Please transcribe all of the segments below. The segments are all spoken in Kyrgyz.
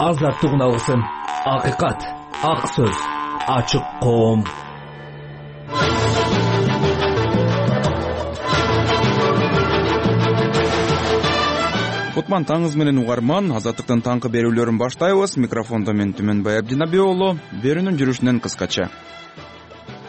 азаттык уналсын. Акыйкат, ак сөз, ачык коом. Кутман таңыз менен угарман, азаттыктын таңкы берүүлөрүн баштайбыз. Микрофондо мен Түмөнбай Абдинабий уулу. Берүүнүн жүрүшүнөн кыскача.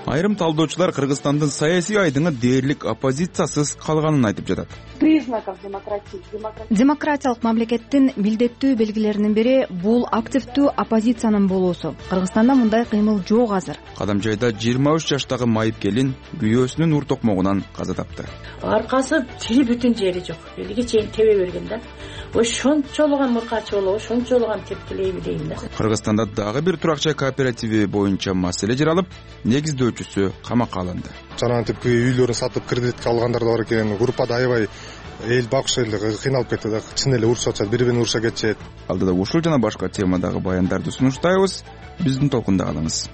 Айрым талдоочулар Кыргызстандын саясий айдыңы дээрлик оппозициясыз калганын айтып жатат. Признаков демократии. Демократиялык мамлекеттин милдеттүү белгилеринин бири бул активдүү оппозициянын болуусу. Кыргызстанда мындай кыймыл жок азыр. Кадамжайда 23 жаштагы майып келин күйөөсүнүн ур токмогунан каза тапты. Аркасы тили бүтүн жери жок. Элге чейин тебе берген да. Ошончолуган муркачы болобу, ошончолуган тепкилей билейин да. Кыргызстанда дагы бир турак жай кооперативи боюнча маселе жаралып, негиздөөчүсү камакка алынды. Жанагынтип үйлөрүн сатып кредитке алгандар да бар экен. Группада аябай эл багыш эле кыйналып кетти да. Чын эле урушуп атышат, бири-бирин уруша кетишет. Алдыда ушул жана башка темадагы баяндарды сунуштайбыз. Биздин толкунда калыңыз.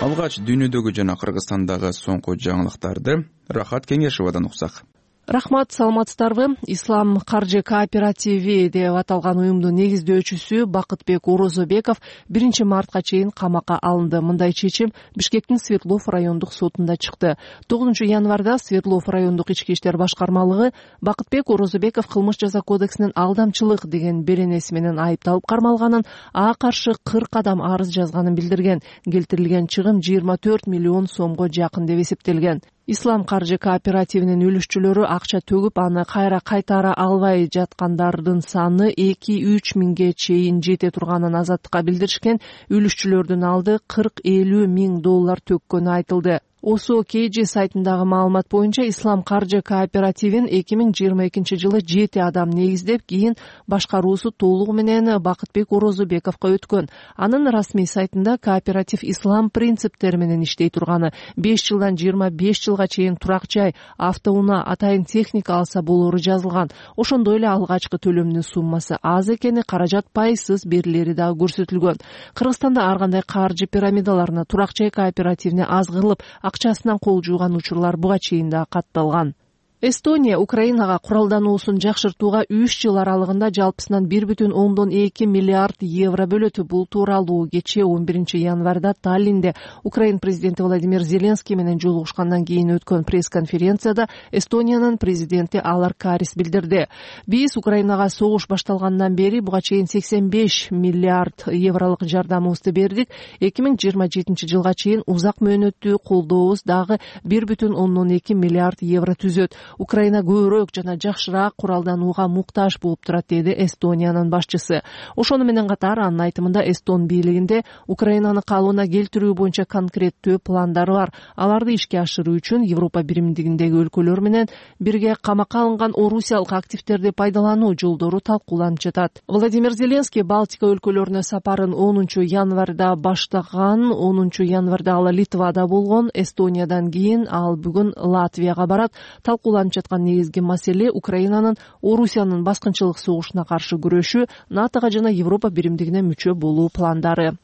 Алгач дүйнөдөгү жана Кыргызстандагы соңку жаңылыктарды Рахат Кеңешевадан уксак. Рахмат, саламатсыздарбы? Ислам каржы кооперативи деп аталган уюмдун негиздөөчүсү Бакытбек Орозобеков 1 мартка чейин камакка алынды. Мындай чечим Бишкектин Свердлов райондук сотунда чыкты. 9 январда Свердлов райондук ички иштер башкармалыгы Бакытбек Орозобеков кылмыш жаза кодексинин алдамчылык деген беренеси менен айыпталып кармалганын, ага каршы 40 адам арыз жазганын билдирген. Келтирилген чыгым 24 миллион сомго жакын деп эсептелген. Ислам каржы кооперативинин үлүшчүлөрү акча төгүп, аны кайра кайтара албай жаткандардын саны 2-3 миңге чейин жете турганын азаттыкка билдиришкен. Үлүшчүлөрдүн алды 40-50 миң доллар төккөнү айтылды. OSO-KG сайтындагы маалымат боюнча Ислам каржы кооперативин 2022 жылы 7 адам негиздеп, кийин башкаруусу толугу менен Бакытбек Орозобековго өткөн. Анын расмий сайтында кооператив ислам принциптери менен иштей турганы, 5 жылдан 25 жылга чейин турак жай, автоунаа, атайын техника алса болору жазылган. Ошондой эле алгачкы төлөмдүн суммасы аз экени, каражат пайызсыз берилери дагы көрсөтүлгөн. Кыргызстанда ар кандай каржы пирамидаларына, турак жай кооперативине аз кылып, акчасынан кол жууган учурлар буга чейин да катталган. Эстония Украинага куралдануусун жакшыртууга 3 жыл аралыгында жалпысынан 1,2 миллиард евро бөлөт. Бул тууралуу кечээ 11 январда Таллинде Украин президенти Владимир Зеленский менен жолугушкандан кийин өткөн пресс-конференцияда Эстониянын президенти Алар Карис билдирди. Биз Украинага согуш башталгандан бери буга чейин 85 миллиард евролук жардамыбызды бердик. 2027 жылга чейин узак мөөнөттүү колдообуз дагы 1,2 миллиард евро түзөт. Украина көбүрөөк жана жакшыраак куралданууга муктаж болуп турат, деди Эстониянын башчысы. Ошону менен катар анын айтымында Эстон бийлигинде Украинаны калыбына келтирүү боюнча конкреттүү пландары бар. Аларды ишке ашыруу үчүн Европа биримдигиндеги өлкөлөр менен бирге камакка алынган орусиялык активдерди пайдалануу жолдору талкууланып жатат. Владимир Зеленский Балтика өлкөлөрүнө сапарын 10 январда баштаган. 10 январда ал Литвада болгон. Эстониядан кийин ал бүгүн Латвияга барат. Талкууланып жаткан негизги маселе Украинанын Орусиянын баскынчылык согушуна каршы күрөшүү, НАТОга жана Европа биримдигине мүчө болуу пландары.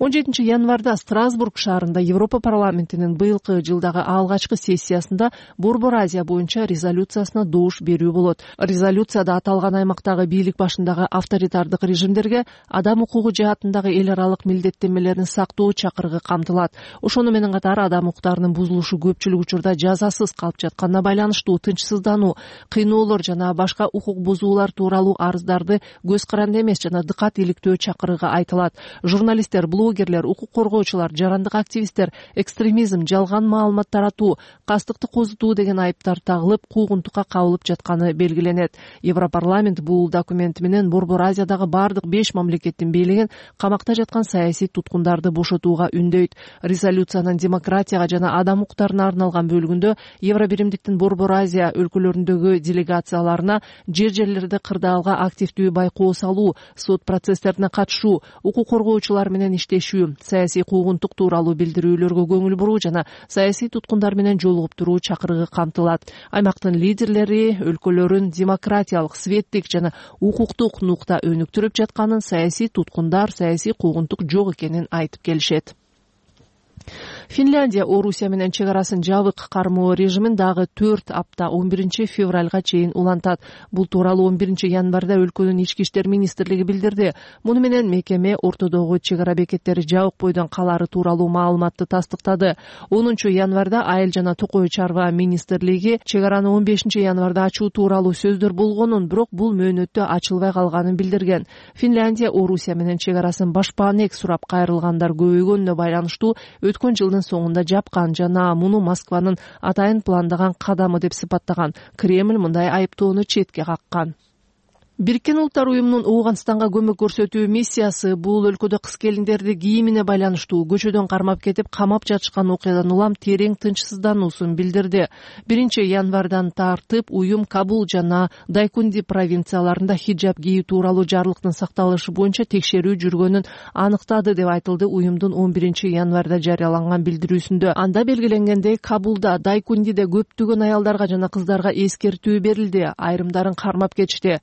17 январда Страсбург шаарында Европа парламентинин быйылкы жылдагы алгачкы сессиясында Борбор Азия боюнча резолюциясына добуш берүү болот. Резолюцияда аталган аймактагы бийлик башындагы авторитардык режимдерге адам укугу жаатындагы эл аралык милдеттенмелерин сактоо чакырыгы камтылат. Ошону менен катар адам укуктарынын бузулушу көпчүлүк учурда жазасыз калып жатканына байланыштуу тынчсыздануу, кыйноолор жана башка укук бузуулар тууралуу арыздарды көз каранды эмес жана дыкат иликтөө чакырыгы айтылат. Журналисттер, блогерлер, укук коргоочулар, жарандык активисттер экстремизм, жалган маалымат таратуу, кастыкты козутуу деген айыптар тагылып, куугунтукка кабылып жатканы белгиленет. Европарламент бул документ менен Борбор Азиядагы бардык 5 мамлекеттин бийлигин камакта жаткан саясий туткундарды бошотууга үндөйт. Резолюциянын демократияга жана адам укуктарына арналган бөлүгүндө Евробиримдиктин Борбор Азия өлкөлөрүндөгү делегацияларына жерлерде кырдаалга активдүү байкоо салуу, сот процесстерине катышуу, укук коргоочулар менен иштешүү, саясий куугунтук тууралуу билдирүүлөргө көңүл буруу жана саясий туткундар менен жолугуп туруу чакырыгы камтылат. Аймактын лидерлери өлкөлөрүн демократиялык, светтик жана укуктук нукта өнүктүрүп жатканын, саясий туткундар, саясий куугунтук жок экенин айтып келишет. Финляндия Орусия менен чек арасын жабык кармоо режимин дагы 4 апта 11 февралга чейин улантат. Бул тууралуу 11 январда өлкөнүн ички иштер министрлиги билдирди. Муну менен мекеме ортодогу чек ара бекеттери жабык бойдон калары тууралуу маалыматты тастыктады. 10 январда Айыл жана Токой чарба министрлиги чек араны 15 январда ачуу тууралуу сөздөр болгонун, бирок бул мөөнөттө ачылбай калганын билдирген. Финляндия Орусия менен чек арасын башпаанек сурап кайрылгандар көбөйгөнүнө байланыштуу өткөн жылдын соңунда жапкан жана муну Москванын атайын пландаган кадамы деп сыпаттаган. Кремль мындай айыптоону четке каккан. Бириккен Улуттар уюмунун Ооганстанга көмөк көрсөтүү миссиясы бул өлкөдө кыз келиндерди кийимине байланыштуу көчөдөн кармап кетип камап жатышкан окуядан улам терең тынчсыздануусун билдирди. 1 январдан тартып уюм Кабул жана Дайкунди провинцияларында хиджаб кийүү тууралуу жарлыктын сакталышы боюнча текшерүү жүргөнүн аныктады деп айтылды уюмдун 11 январда жарыяланган билдирүүсүндө. Анда белгиленгендей, Кабулда, Дайкундиде көптөгөн аялдарга жана кыздарга эскертүү берилди, айрымдарын кармап кетишти.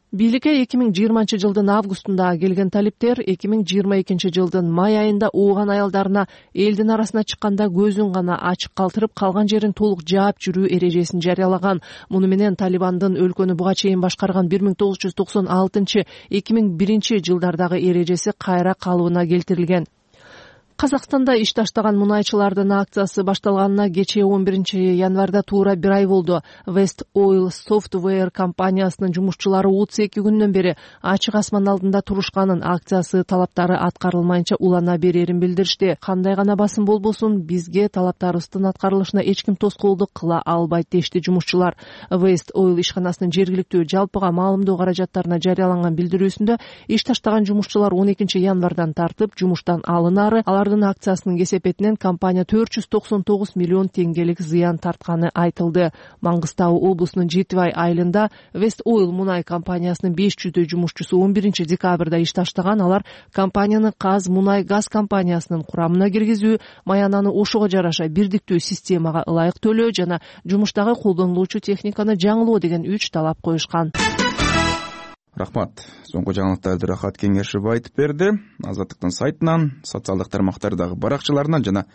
2020 жылдын августунда келген талиптер 2022 жылдын май айында ооған аялдарына элдин арасына чыкканда көзүн гана ачык калтырып, калган жерин толук жаап жүрүү эрежесин жарыялаган. Муну менен Талибандын өлкөнү буга чейин башкарган 1996-2001 жылдардагы эрежеси кайра калыбына келтирилген. Казакстанда иш таштаган мунайчылардын акциясы башталганына кечээ 11 январда туура 1 ай болду. West Oil Software компаниясынын жумушчулары 32 күндөн бери ачык асман алдында турушканын, акциясы талаптары аткарылмайынча улана берерин билдиришти. Кандай гана басым болбосун, бизге талаптарыбыздын аткарылышына эч ким тоскоолдук кыла албайт дешти жумушчулар. West Oil ишканасынын жергиликтүү жалпыга маалымдоо каражаттарына жарыяланган билдирүүсүндө иш таштаган жумушчулар 12 январдан тартып жумуштан алынары, акциясынын кесепетинен компания 499 миллион теңгелик зыян тартканы айтылды. Маңгыстау облусунун Жетибай айылында West Oil мунай компаниясынын 500 жумушчусу 11 декабрда иш таштаган. Алар компанияны Каз мунай газ компаниясынын курамына киргизүү, маянаны ошого жараша бирдиктүү системага ылайык төлөө жана жумуштагы колдонулуучу техниканы жаңылоо деген 3 талап коюшкан. Рахмат. Соңку жаңылыктарды Рахат Кеңешев айтып берди. Азаттыктын сайтынан, социалдык тармактардагы баракчаларынан жана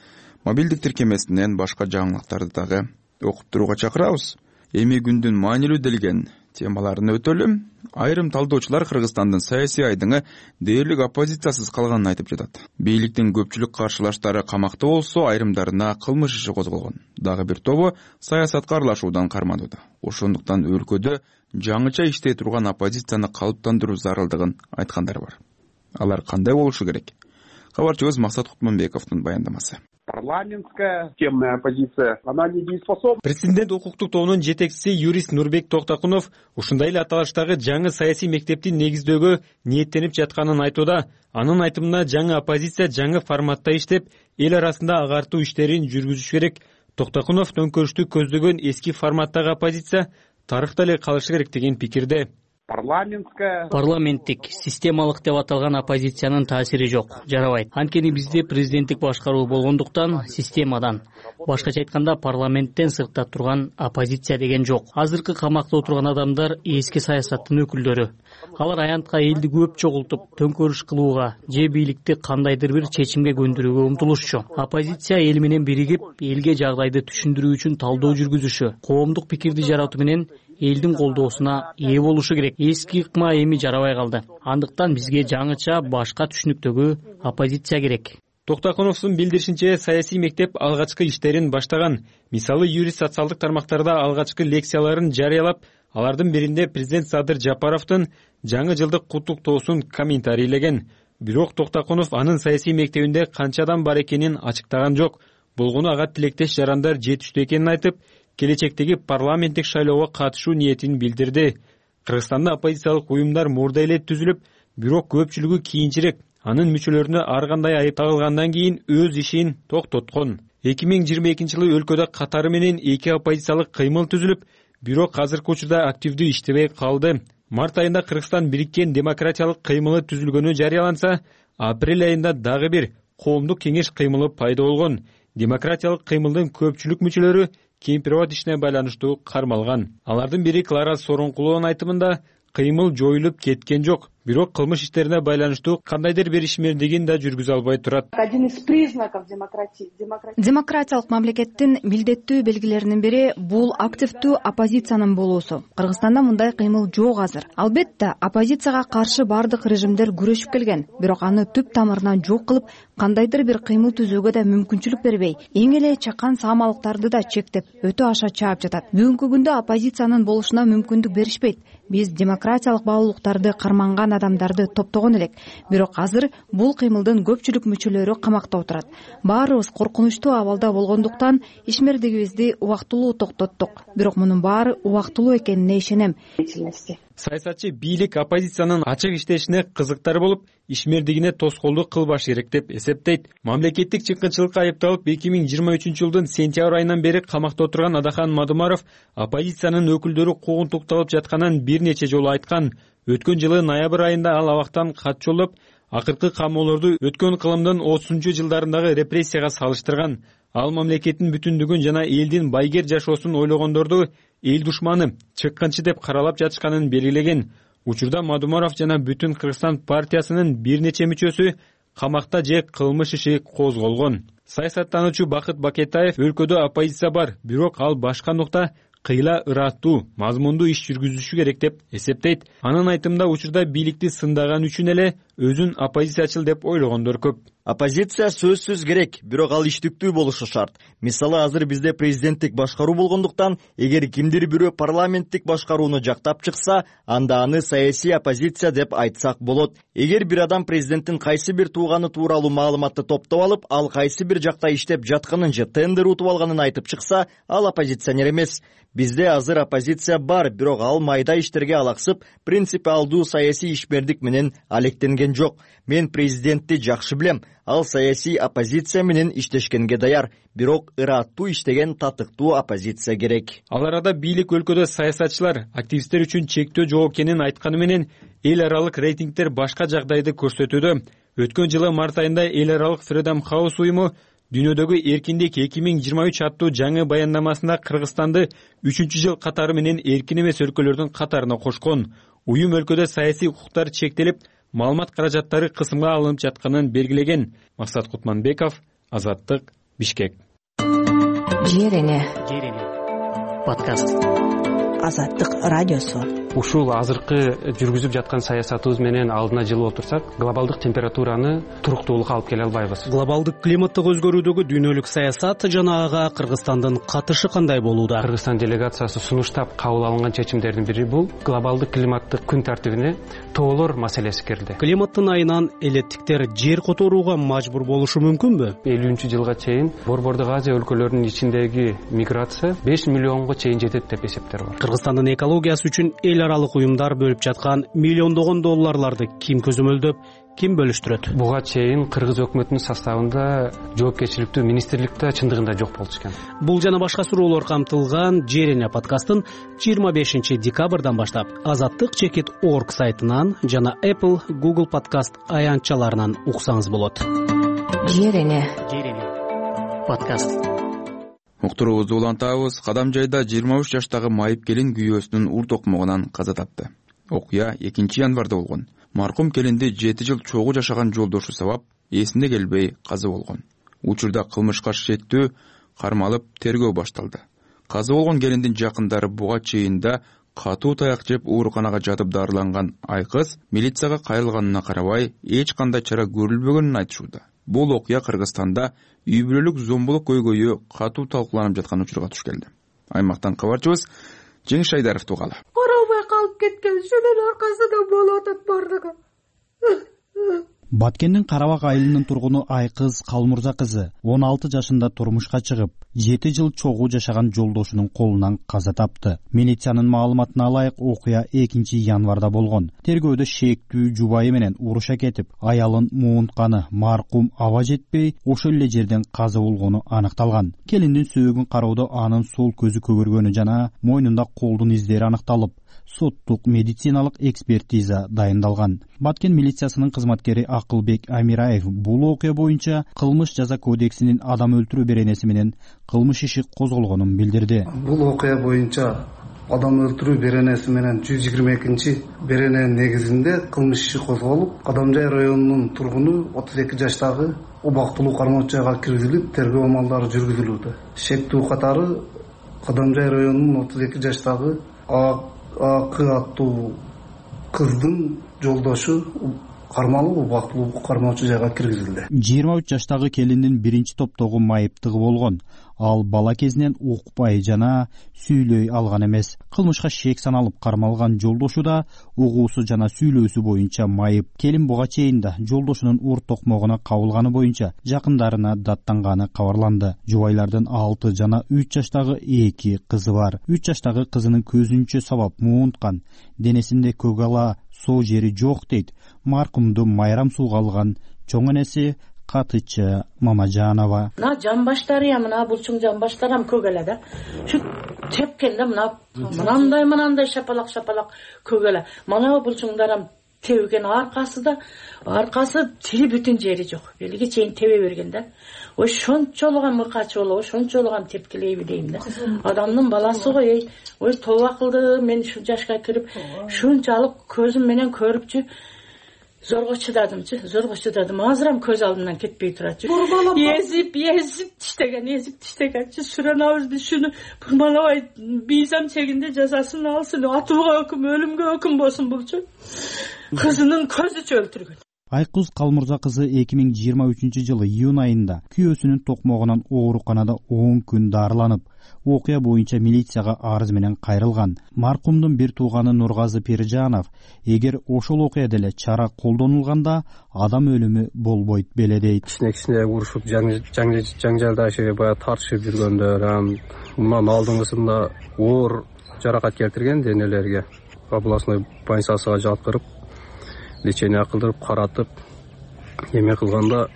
мобилдик тиркемесинен башка жаңылыктарды дагы окуп турууга чакырабыз. Эми күндүн маанилүү делген темаларын өтөлүм. Айрым талдоочулар Кыргызстандын саясий айдыңы дээрлик оппозициясыз калганын айтып жатат. Бийликтин көпчүлүк каршылаштары камакта болсо, айрымдарына кылмыш иши козголгон. Дагы бир тобу саясатка аралашуудан карманууда. Ошондуктан өлкөдө жаңыча иштей турган оппозицияны калыптандыруу зарылдыгын айткандар бар. Алар кандай болушу керек? Кабарчыбыз Максат Кутманбековдун баяндамасы. Парламентская системная оппозиция, она недееспособна. Президент укуктук тобунун жетекчиси юрист Нурбек Токтакунов ушундай эле аталыштагы жаңы саясий мектепти негиздөөгө ниеттенип жатканын айтууда. Анын айтымына жаңы оппозиция жаңы форматта иштеп, эл арасында агартуу иштерин жүргүзүш керек. Токтакунов төңкөрүштү көздөгөн эски форматтагы оппозиция тарыхта эле калышы керек деген пикирде. Парламенттик, системалык деп аталган оппозициянын таасири жок, жарабайт. Анткени бизде президенттик башкаруу болгондуктан системадан, башкача айтканда парламенттен сыртта турган оппозиция деген жок. Азыркы камакта отурган адамдар эски саясаттын өкүлдөрү. Алар аянтка элди көп чогултуп, төңкөрүш кылууга же бийликти кандайдыр бир чечимге көндүрүүгө умтулушчу. Оппозиция эл менен биригип, элге жагдайды түшүндүрүү үчүн талдоо жүргүзүшү, коомдук пикирди жаратуу менен элдин колдоосуна ээ болушу керек. Эски ыкма эми жарабай калды. Андыктан бизге жаңыча башка түшүнүктөгү оппозиция керек. Токтакуновдун билдиришинче, саясий мектеп алгачкы иштерин баштаган. Мисалы, юрист социалдык тармактарда алгачкы лекцияларын жарыялап, алардын биринде президент Садыр Жапаровдун жаңы жылдык куттуктоосун комментарийлеген. Бирок Токтакунов анын саясий мектебинде канча адам бар экенин ачыктаган жок. Болгону ага тилектеш жарандар жетиштүү экенин айтып, келечектеги парламенттик шайлоого катышуу ниетин билдирди. Кыргызстанда оппозициялык уюмдар мурда эле түзүлүп, бирок көпчүлүгү кийинчерээк, анын мүчөлөрүнө ар кандай айып тагылгандан кийин өз ишин токтоткон. 2022 жылы өлкөдө катары менен 2 оппозициялык кыймыл түзүлүп, бирок азыркы учурда активдүү иштебей калды. Март айында Кыргызстан бириккен демократиялык кыймылы түзүлгөнү жарыяланса, апрель айында дагы бир коомдук кеңеш кыймылы пайда болгон. Демократиялык кыймылдын көпчүлүк мүчөлөрү Кемпирабад ишине байланыштуу кармалган. Алардын бири Клара Сооронкулованын айтымында, кыймыл жоюлуп кеткен жок. бирок кылмыш иштерине байланыштуу кандайдыр бир ишмердигин да жүргүзө албай турат. Один из признаков демократии. Демократиялык мамлекеттин милдеттүү белгилеринин бири бул активдүү оппозициянын болуусу. Кыргызстанда мындай кыймыл жок азыр. Албетте, оппозицияга каршы бардык режимдер күрөшүп келген, бирок аны түп тамырынан жок кылып, кандайдыр бир кыймыл түзүүгө да мүмкүнчүлүк бербей, эң эле чакан саамалыктарды да чектеп, өтө аша чаап жатат. Бүгүнкү күндө оппозициянын болушуна мүмкүндүк беришпейт. Биз демократиялык баалуулуктарды карманган адамдарды топтогон элек, бирок азыр бул кыймылдын көпчүлүк мүчөлөрү камакта отурат. Баарыбыз коркунучтуу абалда болгондуктан ишмердигибизди убактылуу токтоттук. Бирок мунун баары убактылуу экенине ишенем. Саясатчы бийлик оппозициянын ачык иштешине кызыктар болуп, ишмердигине тоскоолдук кылбаш керек деп эсептейт. Мамлекеттик чыккынчылыкка айыпталып 2023-жылдын сентябрь айынан бери камакта отурган Адахан Мадумаров оппозициянын өкүлдөрү куугунтукталып жатканын бир нече жолу айткан. Өткөн жылы ноябрь айында ал абактан кат жолдоп, акыркы камоолорду өткөн кылымдын 30-жылдарындагы репрессияга салыштырган. Ал мамлекеттин бүтүндүгүн жана элдин байгер жашоосун ойлогондорду эл душманы, чыккынчы деп каралап жатышканын белгилеген. Учурда Мадумаров жана Бүтүн Кыргызстан партиясынын бир нече мүчөсү камакта же кылмыш иши козголгон. Саясаттануучу Бакыт Бакетаев өлкөдө оппозиция бар, бирок ал башкандыкта кыйла ыраттуу, мазмундуу иш жүргүзүшү керек деп эсептейт. Анын айтымында учурда бийликти сындаган үчүн эле өзүн оппозициячыл деп ойлогондор көп. Оппозиция сөзсүз керек, бирок ал иштиктүү болушу шарт. Мисалы, азыр бизде президенттик башкаруу болгондуктан, эгер кимдир бирөө парламенттик башкарууну жактап чыкса, анда аны саясий оппозиция деп айтсак болот. Эгер бир адам президенттин кайсы бир тууганы тууралуу маалыматты топтоп алып, ал кайсы бир жакта иштеп жатканын же тендер утуп алганын айтып чыкса, ал оппозиционер эмес. Бизде азыр оппозиция бар, бирок ал майда иштерге алаксып, принципиалдуу саясий ишмердик менен алектенген жок. Мен президентти жакшы билем. Ал саясий оппозиция менен иштешкенге даяр, бирок ыраттуу иштеген татыктуу оппозиция керек. Ал арада бийлик өлкөдө саясатчылар, активисттер үчүн чектөө жок экенин айтканы менен эл аралык рейтингдер башка жагдайды көрсөтүүдө. Өткөн жылы март айында эл аралык Freedom House уюму Дүйнөдөгү эркиндик 2023 аттуу жаңы баяндамасында Кыргызстанды 3-жыл катары менен эркин эмес өлкөлөрдүн катарына кошкон. Уюм өлкөдө саясий укуктар чектелип, маалымат каражаттары кысымга алынып жатканын белгилеген. Максат Кутманбеков, Азаттык, Бишкек. Жерене подкаст. Азаттык радиосу. Ушул азыркы жүргүзүп жаткан саясатыбыз менен алдына жылып отурсак, глобалдык температураны туруктуулукка алып келе албайбыз. Глобалдык климаттык өзгөрүүдөгү дүйнөлүк саясат жана ага Кыргызстандын катышы кандай болууда? Кыргызстан делегациясы сунуштап кабыл алынган чечимдердин бири бул глобалдык климаттык күн тартибине тоолор маселеси кирди. Климаттын айынан элеттиктер жер которууга мажбур болушу мүмкүнбү? 50-жылга чейин Борбордук Азия өлкөлөрүнүн ичиндеги миграция 5 миллионго чейин жетет деп эсептер бар. Кыргызстандын экологиясы үчүн эл аралык уюмдар бөлүп жаткан миллиондогон долларларды ким көзөмөлдөп, ким бөлүштүрөт? Буга чейин Кыргыз өкмөтүнүн составында жоопкерчиликтүү министрликте чындыгында жок болчу экен. Бул жана башка суроолор камтылган Жерене подкастын 25 декабрдан баштап azattik.org сайтынан жана Apple, Google подкаст аянтчаларынан уксаңыз болот. Жерене подкаст. Уктуруубузду улантабыз. Кадам жайда 23 жаштагы майып келин күйөөсүнүн ур токмогунан каза тапты. Окуя 2 январда болгон. Маркум келинди 7 жыл чогуу жашаган жолдошу сабап эсине келбей каза болгон. Учурда кылмышка шектүү кармалып тергөө башталды. Каза болгон келиндин жакындары буга чейин да катуу таяк жеп ооруканага жатып дарыланган айкыз милицияга кайрылганына карабай эч кандай чара көрүлбөгөнүн айтышууда. Бул окуя Кыргызстанда үй бүлөлүк зомбулук көйгөйү катуу талкууланып жаткан учурга туш келди. Аймактан кабарчыбыз Жеңиш Айдаров тугалы. Карабай калып кеткен шунун аркасында болуп атат бардыгы. Баткендин Карабак айылынын тургуну Айкыз Калмурза кызы 16 жашында турмушка чыгып, 7 жыл чогуу жашаган жолдошунун колунан каза тапты. Милициянын маалыматына ылайык окуя 2 январда болгон. Тергөөдө шектүү жубайы менен уруша кетип, аялын муунтканы маркум аба жетпей, ошол эле жерден каза болгону аныкталган. Келиндин сөөгүн кароодо анын сол көзү көгөргөнү жана мойнунда колдун издери аныкталып, соттук медициналык экспертиза дайындалган. Баткен милициясынын кызматкери Акылбек Амираев бул окуя боюнча кылмыш жаза кодексинин адам өлтүрүү беренеси менен кылмыш иши козголгонун билдирди. Бул окуя боюнча адам өлтүрүү беренеси менен 122 берененин негизинде кылмыш иши козголуп, Кадамжай районунун тургуну 32 жаштагы убактылуу кармоочу жайга киргизилип, тергөө амалдары жүргүзүлүүдө. Шектүү катары Кадамжай районунун 32 жаштагы АК аттуу кыздын жолдошу кармалып, убактылуу кармоочу жайга киргизилди. 23 жаштагы келиндин биринчи топтогу майыптыгы болгон. Ал бала кезинен укпай жана сүйлөй алган эмес. Кылмышка шек саналып кармалган жолдошу да угуусу жана сүйлөөсү боюнча майып. Келин буга чейин да жолдошунун ур токмогуна кабылганы боюнча жакындарына даттанганы кабарланды. Жубайлардын 6 жана 3 жаштагы 2 кызы бар. 3 жаштагы кызынын көзүнчө сабап муунткан, денесинде көгала соо жери жок дейт маркумду майрам сууга алган чоң энеси Катычы Мамажанова. Мына жамбаштары мына булчуң жамбаштарам көгеле да. Şu тепкенде мынандай шапалак көгеле. Мына булчуңдарам тебген аркасы тили бүтүн жери жок. Белге чейин тебе берген да. Ой шончолуган мыкачы болобу, шончолуган тепкилейби дейм да. Адамдын баласы ғой, ой тоба кылды, мен şu жашка кирип, шунчалык көзүм менен көрүпчү. Зорго чыдадым. Азырам көз алдымдан кетпей турат. Езип тиштеген. Суранабызды шуну бурмалабай бийзам чегинде жазасын алсын. Атууга өкүм, өлүмгө өкүм болсун булчу. Кызынын көзүчө өлтүргөн. Айкуз Калмурза кызы 2023 жылы июнь айында күйөөсүнүн токмогунан ооруканада 10 күн дарыланып, окуя боюнча милицияга арыз менен кайрылган. Маркумдун бир тууганы Нургазы Пиржанов, эгер ошол окуяда эле чара колдонулганда адам өлүмү болбойт беле дейт. Кичине урушуп, жаңжалдашып, баягы тартышып жүргөндөр, мындан алдыңгысында оор жаракат келтирген денелерге областной больницасына жаткырып, лечение кылдырып, каратып, эме кылганда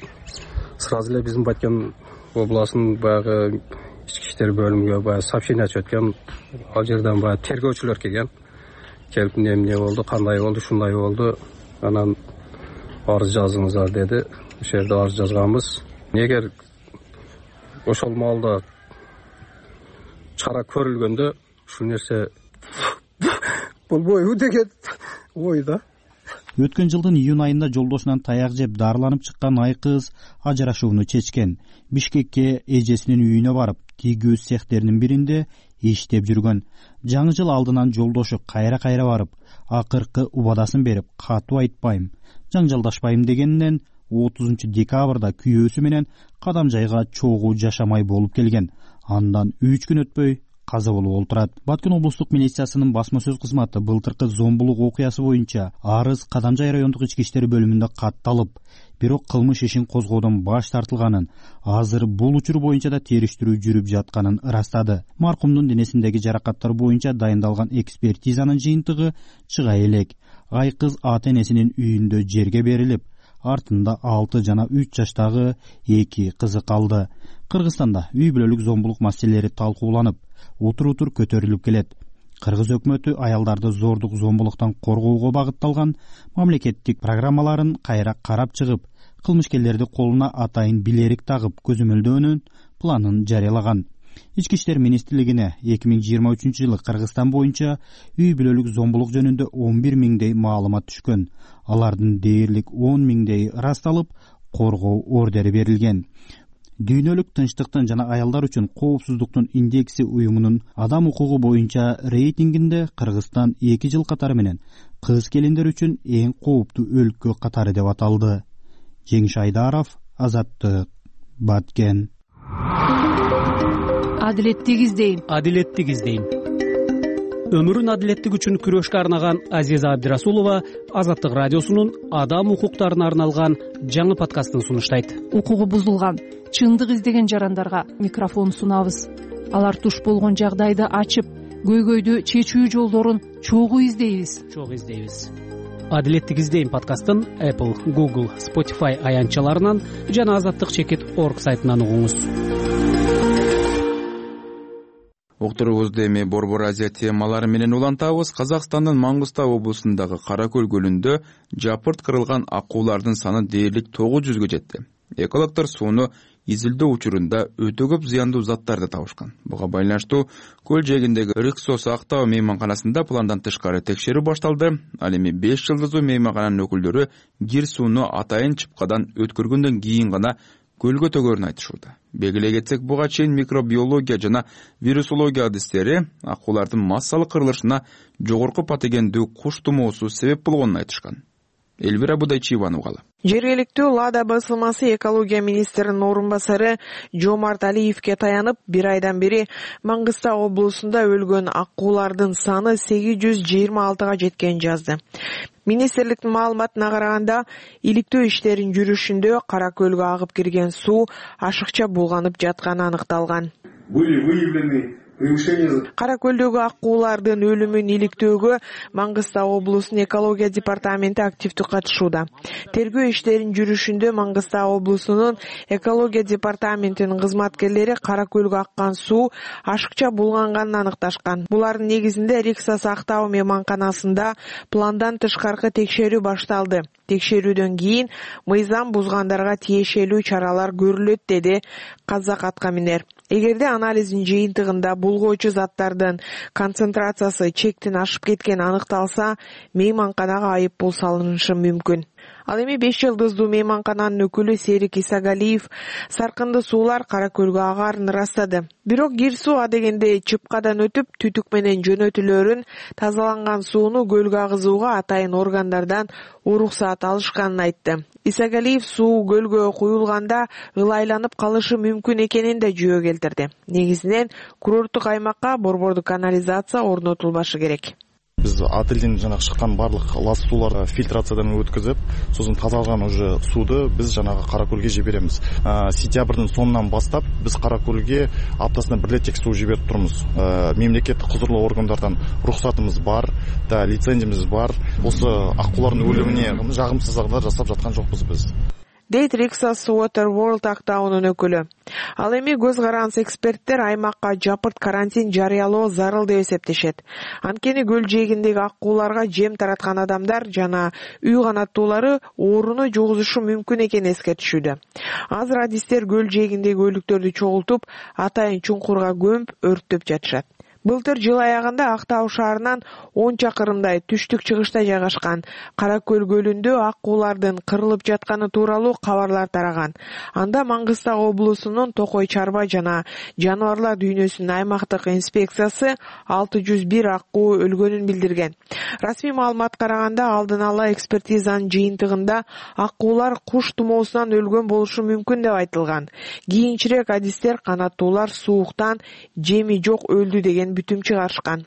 сразу эле биздин Баткен областынын баягы ички иштер бөлүмүгө баягы сообщение өткөн. Ал жерден баягы тергөөчүлөр келген. Келип эмне болду, кандай болду, шундай болду. Анан арыз жазыңыздар деди. Ошол жерде арыз жазганбыз. Эгер ошол маалда чара көрүлгөндө ушул нерсе болбойбу деген ойда. Өткөн жылдын июнь айында жолдошунан таяк жеп дарыланып чыккан Айкыз ажырашууну чечкен. Бишкекке эжесинин үйүнө барып, тийгүү цехтеринин биринде иштеп жүргөн. Жаңы жыл алдынан жолдошу кайра барып, акыркы убадасын берип, катуу айтпайм, жаңжалдашпайм дегенинен 30 декабрда күйөөсү менен Кадамжайга чогуу жашамай болуп келген. Андан 3 күн өтпөй каза болуп олтурат. Баткен облустук милициясынын басма сөз кызматы былтыркы зомбулук окуясы боюнча арыз Кадамжай райондук ички иштер бөлүмүндө катталып, бирок кылмыш ишин козгоодон баш тартылганын, азыр бул учур боюнча да териштирүү жүрүп жатканын ырастады. Маркумдун денесиндеги жаракаттар боюнча дайындалган экспертизанын жыйынтыгы чыга элек. Айкыз ата энесинин үйүндө жерге берилип, артында 6 жана 3 жаштагы 2 кызы калды. Кыргызстанда үй бүлөлүк зомбулук маселелери талкууланып, утур көтөрүлүп келет. Кыргыз өкмөтү аялдарды зордук зомбулуктан коргоого багытталган мамлекеттик программаларын кайра карап чыгып, кылмышкерлерди колуна атайын билерик тагып көзөмөлдөөнүн планын жарыялаган. Ички иштер министрлигине 2023 жылы Кыргызстан боюнча үй бүлөлүк зомбулук жөнүндө 11 миңдей маалымат түшкөн. Алардын дээрлик 10 миңдей ырасталып, коргоо ордери берилген. Дүйнөлүк тынчтыктын жана аялдар үчүн коопсуздуктун индекси уюмунун адам укугу боюнча рейтингинде Кыргызстан 2 жыл катары менен кыз келиндер үчүн эң кооптуу өлкө катары деп аталды. Жеңиш Айдаров, Азаттык, Баткен. Адилеттик издейм. Өмүрүн адилеттик үчүн күрөшкө арнаган Азиза Абдирасулова Азаттык радиосунун адам укуктарына арналган жаңы подкастын сунуштайт. Укугу бузулган, чындык издеген жарандарга микрофон сунабыз. Алар туш болгон жагдайды ачып, көйгөйдү чечүү жолдорун чогуу издейбиз. Адилеттик издейм подкастын Apple, Google, Spotify аянтчаларынан жана azattik.org сайтынан угуңуз. Уктурубузду эми Борбор Азия темалары менен улантабыз. Казакстандын Маңгыстау облусундагы Каракөл көлүндө жапырт кырылган акуулардын саны дээрлик 900гө жетти. Экологдор сууну изилдөө учурунда өтө көп зыяндуу заттарды табышкан. Буга байланыштуу көл жээгиндеги Риксос Актау мейманканасында пландан тышкары текшерүү башталды. Ал эми 5 жылдыздуу мейманкананын өкүлдөрү кир сууну атайын чыпкадан өткөргөндөн кийин гана көлгө төгөрүн айтышууда. Белгилей кетсек, буга чейин микробиология жана вирусология адистери акуулардын массалык кырылышына жогорку патогендүү куш тумоосу себеп болгонун айтышкан. Элвира Будайчиеваны угалы. Жергиликтүү Лада басылмасы экология министринин орун басары Жомарт Алиевке таянып, 1 айдан бери Маңгыстау облусунда өлгөн акуулардын саны 826га жеткенин жазды. Министрликтин маалыматына караганда, иликтөө иштерин жүрүшүндө Кара көлгө агып кирген суу ашыкча булганып жатканы аныкталган. Кара көлдөгү акуулардын өлүмүн иликтөөгө Маңгыстау облусунун экология департаменти активдүү катышууда. Тергөө иштерин жүрүшүндө Маңгыстау облусунун экология департаментинин кызматкерлери Кара көлгө аккан суу ашыкча булганганын аныкташкан. Булардын негизинде Риксос Актау мейманканасында пландан тышкаркы текшерүү башталды. Текшерүүдөн кийин мыйзам бузгандарга тиешелүү чаралар көрүлөт, деди Казак аткаминер. Эгерде анализдин жыйынтыгында булгоочу заттардын концентрациясы чектин ашып кеткени аныкталса, мейманканага айыппул салынышы мүмкүн. Ал эми 5 жылдыздуу мейманкананын өкүлү Серик Исагалиев саркынды суулар Кара көлгө агарын ырастады. Бирок кир суу адегенде чыпкадан өтүп, түтүк менен жөнөтүлөрүн, тазаланган сууну көлгө агызууга атайын органдардан уруксаат алышканын айтты. Исагалиев суу көлгө куюлганда ылайланып калышы мүмкүн экенин да жүйө келтирди. Негизинен курорттук аймакка борбордук канализация орнотулбашы керек. Биз отелден жанагы чыккан барлык лас сууларды фильтрациядан өткөзүп, сосын тазаланган уже сууду биз жанагы Кара көлгө жиберемиз. Сентябрдын сонунан баштап биз Кара көлгө аптасына 1 рет суу жиберип турмуз. Мемлекеттик кузурлуу органдардан уруксатыбыз бар, да лицензиябыз бар. Осы акуулардын өлүмүнө жагымсыздыктар жасап жаткан жокпуз биз. Дейт Риксос Water World Актаунун өкүлү. Ал эми көз каранс эксперттер аймакка жапырт карантин жарыялоо зарыл деп эсептешет. Анткени көл жээгиндеги акууларга жем тараткан адамдар жана үй канаттуулары ооруну жугузушу мүмкүн экенин эскертишүүдө. Азыр адистер көл жээгиндеги өлүктөрдү чогултуп, атайын чуңкурга көмүп, өрттөп жатышат. Былтыр жыл аягында Актау шаарынан 10 чакырымдай түштүк-чыгышта жайгашкан Кара көл көлүндө акуулардын кырылып жатканы тууралуу кабарлар тараган. Анда Маңгыстау облусунун Токой чарба жана жаныбарлар дүйнөсүнүн аймактык инспекциясы 601 акуу өлгөнүн билдирген. Расмий маалыматка караганда, алдын ала экспертизанын жыйынтыгында акуулар куш тумоосунан өлгөн болушу мүмкүн деп айтылган. Кийинчерээк адистер канаттуулар сууктан жеми жок өлдү деген бүтүм чыгарышкан.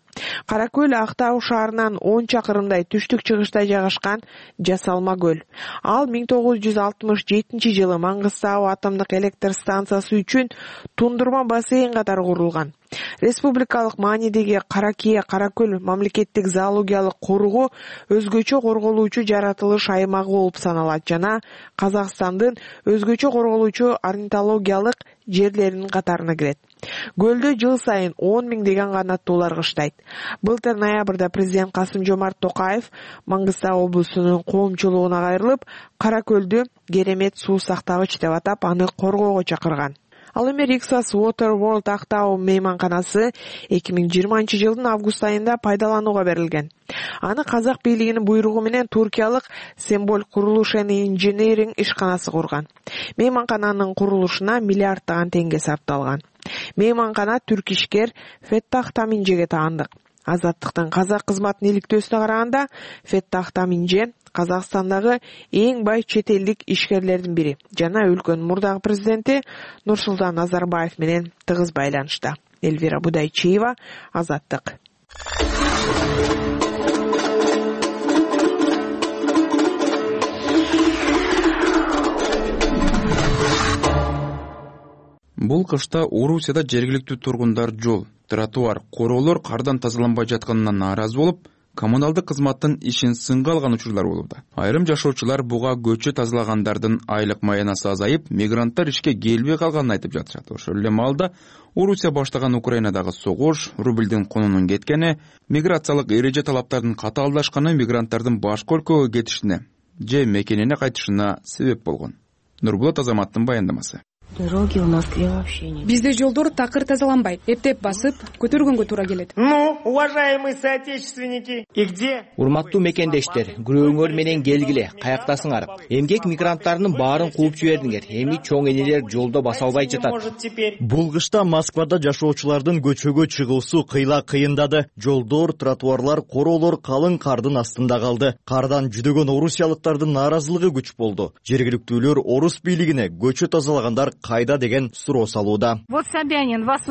Кара көл Актау шаарынан 10 чакырымдай түштүк-чыгышта жайгашкан жасалма көл. Ал 1967 жылы Маңгыстау атомдук электр станциясы үчүн тундурма бассейн катары курулган. Республикалык маанидеги Каракие Кара көл мамлекеттик зоологиялык коругу өзгөчө корголуучу жаратылыш аймагы болуп саналат жана Казакстандын өзгөчө корголуучу орнитологиялык жерлеринин катарына кирет. Көлдө жыл сайын 10 миңдеген канаттуулар кыштайт. Былтыр ноябрда президент Касым-Жомарт Токаев Маңгыстау облусунун коомчулугуна кайрылып, Кара көлдү керемет суу сактагыч деп атап, аны коргоого чакырган. Ал эми Риксос Water World Актау мейманканасы 2020 жылдын август айында пайдаланууга берилген. Аны казак бийлигинин буйругу менен туркиялык Semboll Kuruluş and Engineering ишканасы курган. Мейманкананын курулушуна миллиарддаган теңге сарпталган. Мейманкана түрк ишкер Феттах Таминжеге таандык. Азаттыктын казак кызматынын иликтөөсүнө караганда, Феттах Таминже Казакстандагы эң бай чет элдик ишкерлердин бири жана өлкөнүн мурдагы президенти Нурсултан Назарбаев менен тыгыз байланышта. Элвира Будайчиева, Азаттык. Бул кышта Орусияда жергиликтүү тургундар жол, тротуар, короолор кардан тазаланбай жатканына нааразы болуп, коммуналдык кызматтын ишин сынга алган учурлар болууда. Айрым жашоочулар буга көчө тазалагандардын айлык маянасы азайып, мигранттар ишке келбей калганын айтып жатышат. Ошол эле маалда Орусия баштаган Украинадагы согуш, рубльдин конунун кеткени, миграциялык эреже талаптардын катаалдашканы мигранттардын башка өлкөгө кетишине же мекенине кайтышына себеп болгон. Нурбулат Азаматтын баяндамасы. Дороги в Москве вообще нет. Бизде жолдор такыр тазаланбайт. Эптеп басып, көтөргөнгө туура келет. Уважаемые соотечественники, и где? Урматтуу мекендештер, күрөөңөр менен келгиле, каяктасыңар? Эмгек мигранттарынын баарын кууп жибердиңер. Эми чоң энелер жолдо баса албай жатат. Бул кышта Москвада жашоочулардын көчөгө чыгуусу кыйла кыйындады. Жолдор, тротуарлар, короолор калың кардын астында калды. Кардан жүдөгөн орусиялыктардын нааразылыгы күч болду. Жергиликтүүлөр орус бийлигине көчө тазалагандар кайда деген суроо салууда. Вот Собянин, вас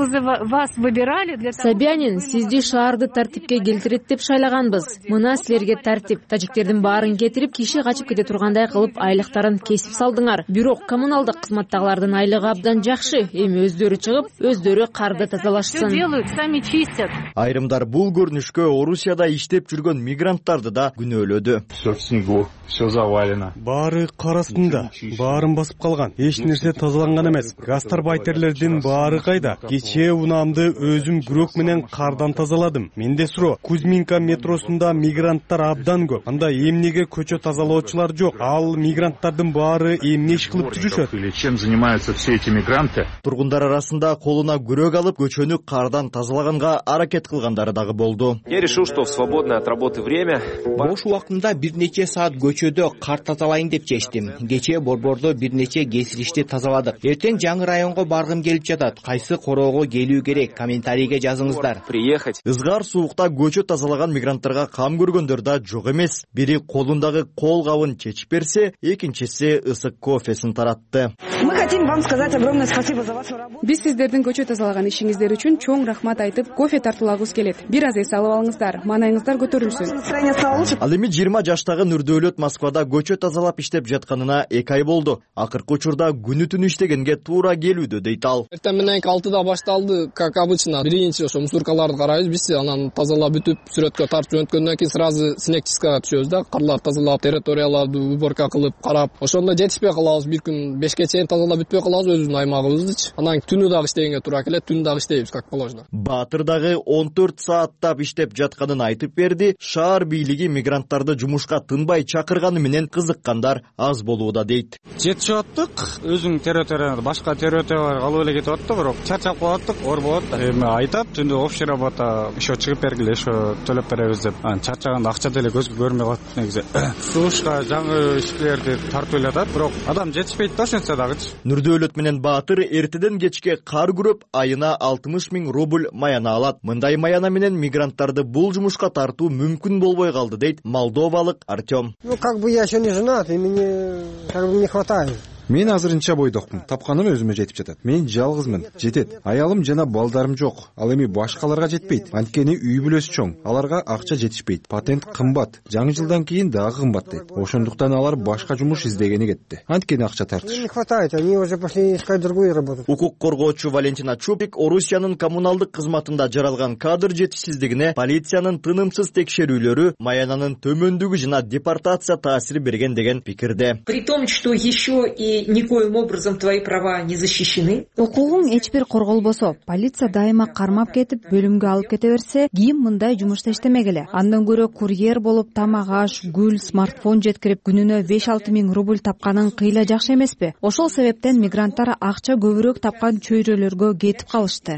выбирали для того... Собянин, сизди шаарды тартипке келтирет деп шайлаганбыз. Мына силерге тартип. Тажиктердин баарын кетирип, киши качып кете тургандай кылып айлыктарын кесип салдыңар. Бирок коммуналдык кызматтагылардын айлыгы абдан жакшы. Эми өздөрү чыгып, өздөрү карды тазалашсын. Что делают, сами чистят. Айрымдар бул көрүнүшкө Орусияда иштеп жүргөн мигранттарды да күнөөлөдү. Все в снегу, все завалено. Баары кар астында, баарын басып калган. Эч нерсе тазаланган эмес. Гастарбайтерлердин баары кайда? Кечээ унаамды өзүм күрөк менен кардан тазаладым. Менде суроо, Кузьминка метросунда мигранттар абдан көп. Анда эмнеге көчө тазалоочулар жок? Ал мигранттардын баары эмне иш кылып жүрүшөт? Или чем занимаются все эти мигранты? Тургундар арасында колуна күрөк алып, көчөнү кардан тазалаганга аракет кылгандары дагы болду. Я решил, что в свободное от работы время бош убактымда бир нече саат көчөдө кар тазалайын деп чечтим. Кечээ борбордо бир нече кесилишти тазаладык. Эртең жаңы районго баргым келип жатат. Кайсы короого келүү керек? Комментарийге жазыңыздар. Приехать. Ызгар суукта көчө тазалаган мигранттарга кам көргөндөр да жок эмес. Бири колундагы кол кабын чечип берсе, экинчиси ысык кофесин таратты. Мы хотим вам сказать огромное спасибо за вашу работу. Биз сиздердин көчө тазалаган ишиңиздер үчүн чоң рахмат айтып, кофе тартуулагыбыз келет. Бир аз эс алып алыңыздар, маанайыңыздар көтөрүлсүн. Ал эми 20 жаштагы Нурдөөлөт Москвада көчө тазалап иштеп жатканына 2 ай болду. Акыркы учурда күнү түнү иштегенге туура келүүдө дейт ал. Эртең менен 6-да башталды, как обычно. Биринчи ошо мусоркаларды карайбыз, биз анан тазалап бүтүп, сүрөткө тартып жөнөткөндөн кийин сразу снегчискага түшөбүз да, карларды тазалап, территорияларды уборка кылып, карап. Ошондо жетишпей калабыз, бир күн 5ке чейин тазалап бүтпөй калабыз өзүбүздүн аймагыбызды. Анан түнү дагы иштегенге туура келет, түнү дагы иштейбиз как положено. Баатыр дагы 14 сааттап иштеп жатканын айтып берди. Шаар бийлиги мигранттарды жумушка тынбай чакырганы менен кызыккандар аз болууда дейт. Жетишип аттык, өзүң территорияда башка территорияларга алып эле кетип аттык, бирок чарчап калаттык, оор болот. Эми айтат, түндө общий работа, ошо чыгып бергиле, ошо төлөп беребиз деп. Анан чарчаганда акча деле көзгө көрмөй калат негизи. Сушка жаңы ишкилерди тартып эле атат, бирок адам жетишпейт да ошентсе дагычы. Нурдөөлөт менен Баатыр эртеден кечке кар күрөп, айына 60 000 рубль маяна алат. Мындай маяна менен мигранттарды бул жумушка тартуу мүмкүн болбой калды дейт молдовалык Артем. Ну как бы я еще не женат, и мне как бы не хватает. Мен азырынча бойдокмун. Тапканым өзүмө жетип жатат. Мен жалгызмын. Жетет. Аялым жана балдарым жок. Ал эми башкаларга жетпейт. Анткени үй бүлөсү чоң. Аларга акча жетишпейт. Патент кымбат. Жаңы жылдан кийин дагы кымбаттайт. Ошондуктан алар башка жумуш издегени кетти. Анткени акча тартыш. Не хватает, они уже пошли искать другую работу. Укук коргоочу Валентина Чупик Орусиянын коммуналдык кызматында жаралган кадр жетишсиздигине полициянын тынымсыз текшерүүлөрү маянанын төмөндүгү жана депортация таасир берген деген пикирде. При том, что еще и никоим образом твои права не защищены. Укугуң эч бир корголбосо, полиция дайыма кармап кетип, бөлүмгө алып кете берсе, ким мындай жумушта иштемегиле? Андан көрө курьер болуп тамак аш, гүл, смартфон жеткирип, күнүнө 5-6 000 рубль тапканың кыйла жакшы эмеспи? Ошол себептен мигранттар акча көбүрөөк тапкан чөйрөлөргө кетип калышты.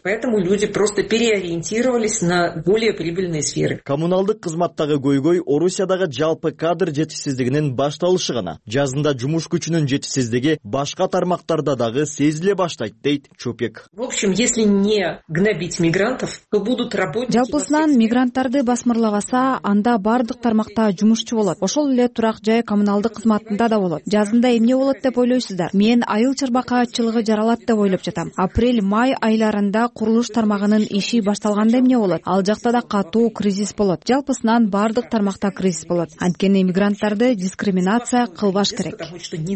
Поэтому люди просто переориентировались на более прибыльные сферы. Коммуналдык кызматтагы көйгөй Орусиядагы жалпы кадр жетишсиздигинин башталышы гана. Жазында жумуш күчүнүн жетишсиздиги башка тармактарда дагы сезиле баштайт дейт Чупик. В общем, если не гнобить мигрантов, то будут работники. Жалпысынан мигранттарды басмырлабаса, анда бардык тармакта жумушчу болот. Ошол эле турак жай коммуналдык кызматында да болот. Жазында эмне болот деп ойлойсуздар? Мен айыл чарбакаатчылыгы жаралат деп ойлоп жатам. Апрель-май айларында курулуш тармагынын иши башталганда эмне болот? Ал жакта да катуу кризис болот. Жалпысынан бардык тармакта кризис болот. Анткени мигранттарды дискриминация кылбаш керек.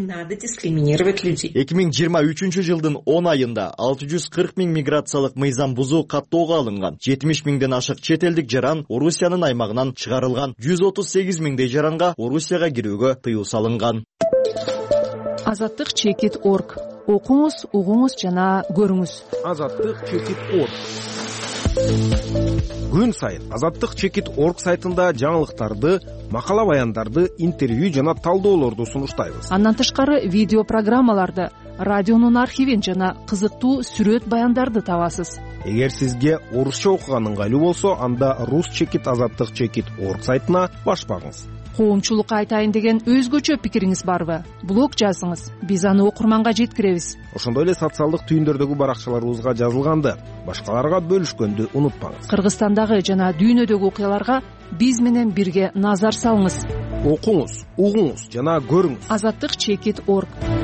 Надо дискриминировать людей. 2023 жылдын 10 айында 640 000 миграциялык мыйзам бузуу каттоого алынган. 70 000ден ашык чет элдик жаран Орусиянын аймагынан чыгарылган. 138 000 жаранга Орусияга кирүүгө тыюу салынган. Азаттык чекит.org. Окуңуз, угуңуз жана көрүңүз. Азаттык чекит.org. Күн сайын Азаттык чекит.org сайтында жаңылыктарды, макала баяндарды, интервью жана талдоолорду сунуштайбыз. Андан тышкары видео программаларды, радионун архивин жана кызыктуу сүрөт баяндарды табасыз. Эгер сизге орусча окуган ыңгайлуу болсо, анда rus-azattik.org сайтына баш багыңыз. Коомчулукка айтайын деген өзгөчө пикириңиз барбы? Блог жазыңыз, биз аны окурманга жеткиребиз. Ошондой эле социалдык түйүндөрдөгү баракчаларыбызга жазылганды башкаларга бөлүшкөндү унутпаңыз. Кыргызстандагы жана дүйнөдөгү окуяларга биз менен бирге назар салыңыз. Окуңуз, угуңуз жана көрүңүз. azattik.org.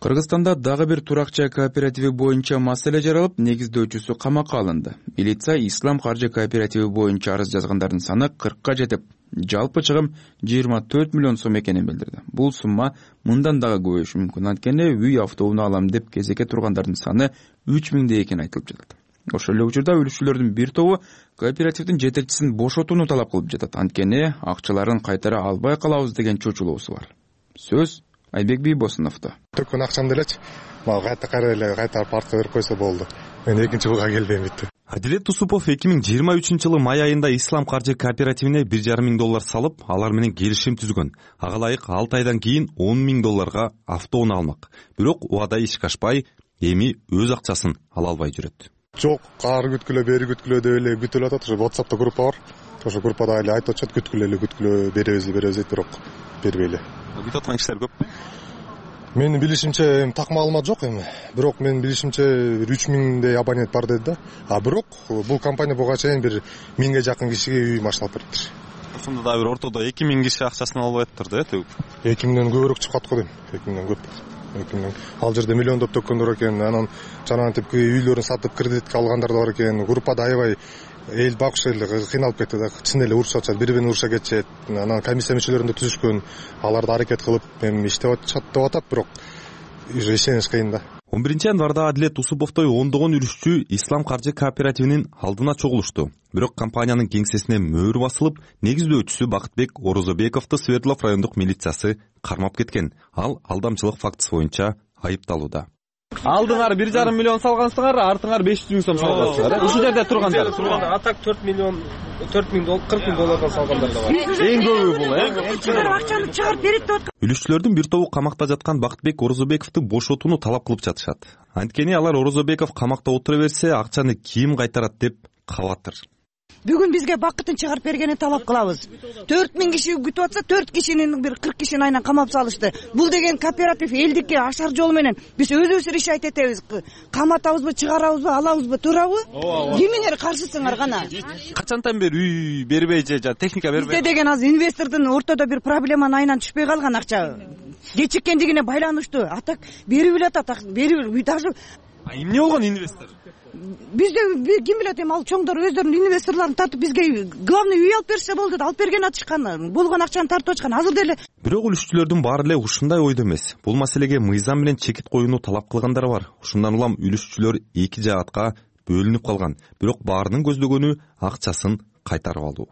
Кыргызстанда дагы бир туракча кооперативи боюнча маселе жаралып, негиздөөчүсү камакка алынды. Милиция Ислам каржы кооперативи боюнча арыз жазгандардын саны 40ка жетип, жалпы чыгым 24 миллион сом экенин билдирди. Бул сумма мындан дагы көбөйүшү мүмкүн. Анткени үй автоунаа алам деп кезекке тургандардын саны 3000 экени айтылып жатат. Ошол эле учурда үлүшчүлөрдүн бир тобу кооперативдин жетекчисин бошотууну талап кылып жатат. Анткени акчаларын кайтара албай калабыз деген чочулоосу бар. Сөз Айбек Бийбосуновдо. Төккөн акчамды элечи мага кайтарып артка берип койсо болду. Мен экинчи жылга келбейм битти. Адилет Тусупов 2023-жылы май айында Ислам каржы кооперативине $1,5 миң салып, алар менен келишим түзгөн. Ага ылайык 6 айдан кийин $10 миң автоунаа алмак. Бирок убада ишке ашпай, эми өз акчасын ала албай жүрөт. Жок, ары күткүлө, бери күткүлө деп эле күтүлүп атат. Ошо WhatsApp'та группа бар. Ошо группада эле айтып атышат, күткүлө, беребиз дейт, бирок бербей эле. Күтүп аткан кишилер көппү? Менин билишимче так маалымат жок эми. Бирок менин билишимче 3000 абонент бар деди да. Бирок бул компания буга чейин 1000ге жакын кишиге үй машиналап бериптир. Ошондо да бир ортодо 2000 киши акчасын албай атыптыр да, төгүп. 2000ден көбүрөөк чыкат го дейм. 2000ден көп. 2000. Ал жерде миллиондоп төккөндөр экен. Анан жанагынтип үйлөрүн сатып кредитке алгандар да бар экен. Группада аябай эл багыш эле кыйналып кетти да. Чын эле урушуп атышат, бири-бирин уруша кетишет. Анан комиссия мүчөлөрүндө түзүшкөн. Аларды аракет кылып эми иштеп атат, бирок ишениш кыйын да. 11-январда Адилет Тусуповдой ондогон үлүшчү Ислам каржы кооперативинин алдына чогулушту. Бирок компаниянын кеңсесине мөөр басылып, негиздөөчүсү Бакытбек Орозобековду Свердлов райондук милициясы кармап кеткен. Ал алдамчылык фактысы боюнча айыпталууда. Алдыңар 1,5 миллион салгансыңар, артыңар 500 миң сом салгансыңар. Ушул жерде тургандар. Атак 4 миллион, 40 миң доллардан салгандар да бар. Эң көбү бул, акчаны чыгарып берет деп аткан. Үлүшчүлөрдүн бир тобу камакта жаткан Бакытбек Орозобековду бошотууну талап кылып жатышат. Анткени алар Орозобеков камакта отура берсе, акчаны ким кайтарат деп кабатыр. Бүгүн бизге бакытын чыгарып бергенин талап кылабыз. 4000 киши күтүп атса, 4 кишинин бир 40 кишини айынан камап салышты. Бул деген кооператив элдикке ашар жол менен биз өзүбүз решать этебиз. Каматабызбы, чыгарабызбы, алабызбы, турабы? Кимиңер каршысыңар гана? Качантан бери үй бербей же техника бербей? Бизде деген азыр инвестордун ортодо бир проблеманын айынан түшпөй калган акча. Кечиккендигине байланыштуу. Атак берип эле атат, берип даже. Эмне болгон инвестор? Бизде ким билет эми, ал чоңдор өздөрүнүн инвесторлорун тартып бизге главный үй алып берсе болду да, алып берген атышкан, болгон акчаны тартып атышкан. Азыр деле бирок үлүшчүлөрдүн баары эле ушундай ойдо эмес. Бул маселеге мыйзам менен чекит коюуну талап кылгандар бар. Ушундан улам үлүшчүлөр эки жаатка бөлүнүп калган. Бирок баарынын көздөгөнү акчасын кайтарып алуу.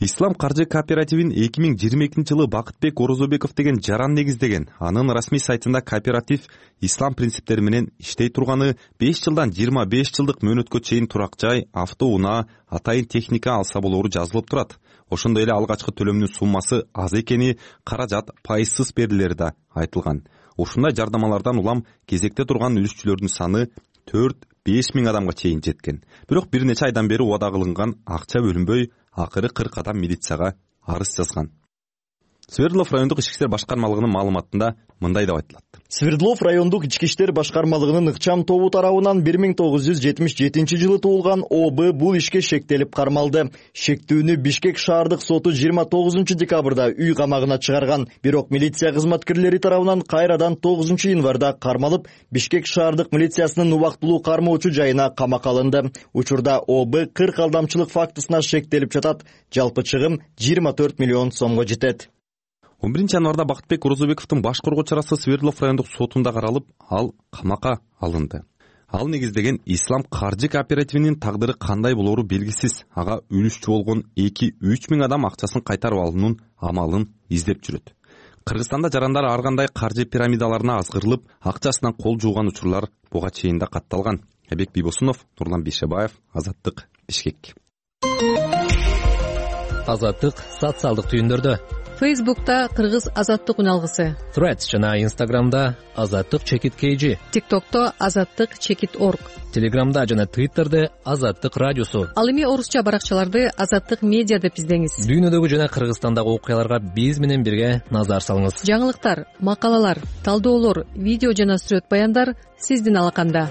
Ислам каржы кооперативин 2022-жылы Бакытбек Орозобеков деген жаран негиздеген. Анын расмий сайтында кооператив ислам принциптери менен иштей турганы, 5 жылдан 25 жылдык мөөнөткө чейин турак жай, автоунаа, атайын техника алса болору жазылып турат. Ошондой эле алгачкы төлөмдүн суммасы аз экени, каражат пайызсыз берилери да айтылган. Ушундай жардамалардан улам кезекте турган үлүшчүлөрдүн саны 4-5 миң адамга чейин жеткен. Бирок бир нече айдан бери убада кылынган акча бөлүнбөй, акыры 40 адам милицияга арыз жазган. Свердлов райондук ички иштер башкармалыгынын маалыматында мындай деп айтылат. Свердлов райондук ички иштер башкармалыгынын ыкчам тобу тарабынан 1977-жылы туулган ОБ бул ишке шектелип кармалды. Шектүүнү Бишкек шаардык соту 29-декабрда үй камагына чыгарган. Бирок милиция кызматкерлери тарабынан кайрадан 9-январда кармалып, Бишкек шаардык милициясынын убактылуу кармоочу жайына камакка алынды. Учурда ОБ 40 алдамчылык фактысына шектелип жатат. Жалпы чыгым 24 миллион сомго жетет. 11-январда Бакытбек Орозобековдун башкаруу чарасы Свердлов райондук сотунда каралып, ал камакка алынды. Ал негиздеген Ислам каржы кооперативинин тагдыры кандай болору белгисиз. Ага үлүшчү болгон 2-3 миң адам акчасын кайтарып алуунун амалын издеп жүрөт. Кыргызстанда жарандар ар кандай каржы пирамидаларына азгырылып, акчасынан кол жууган учурлар буга чейин да катталган. Айбек Бийбосунов, Нурлан Бейшебаев, Азаттык, Бишкек. Азаттык социалдык түйүндөрдө, Фейсбукта Кыргыз азаттык үналгысы, Threads жана Instagramда Азаттык чекит KG, TikTokто Азаттык чекит org, Телеграмда жана Twitterде Азаттык радиосу. Ал эми орусча баракчаларды Азаттык медиа деп издеңиз. Дүйнөдөгү жана Кыргызстандагы окуяларга биз менен бирге назар салыңыз. Жаңылыктар, макалалар, талдоолор, видео жана сүрөт баяндар сиздин алаканда.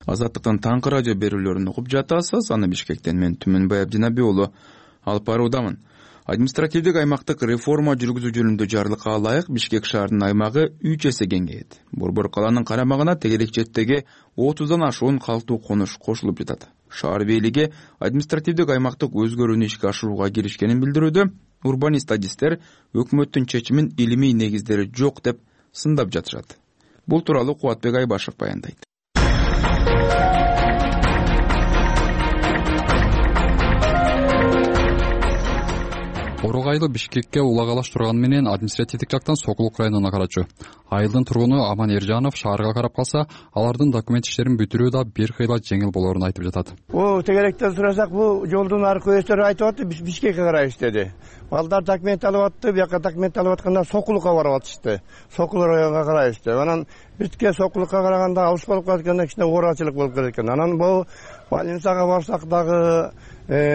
Азаттыктын таңкы радио берүүлөрүн угуп жатасыз. Аны Бишкектен мен Түмөнбай Абдинаби уулу алып баруудамын. Административдик аймактык реформа жүргүзүү жөнүндө жарлыкка ылайык Бишкек шаарынын аймагы 3 эсе кеңейет. Борбор калаанын карамагына тегерек четтеги 30дан ашуун калктуу конуш кошулуп жатат. Шаар бийлиги административдик аймактык өзгөрүүнү ишке ашырууга киришкенин билдирүүдө. Урбанист-адистер өкмөттүн чечимин илимий негиздери жок деп сындап жатышат. Бул тууралуу Кубатбек Айбашев баяндайт. Орог айылы Бишкекке улагалаш турганы менен административдик жактан Сокулук районуна карачу. Айылдын тургуну Аман Эржанов шаарга карап калса, алардын документ иштерин бүтүрүү да бир кыйла жеңил болоорун айтып жатат. Тегеректен сурасак, бул жолдун аркы өстөр айтып атты, Бишкекке карай иштеди. Балдар документ алып атты, бияка документ алып атканда Сокулукка барып атышты. Сокулук районуна карай иште. Анан битке Сокулукка караганда алыс болуп калганда кичине оорачылык болуп кетет экен. Анан бул больницага барсак дагы,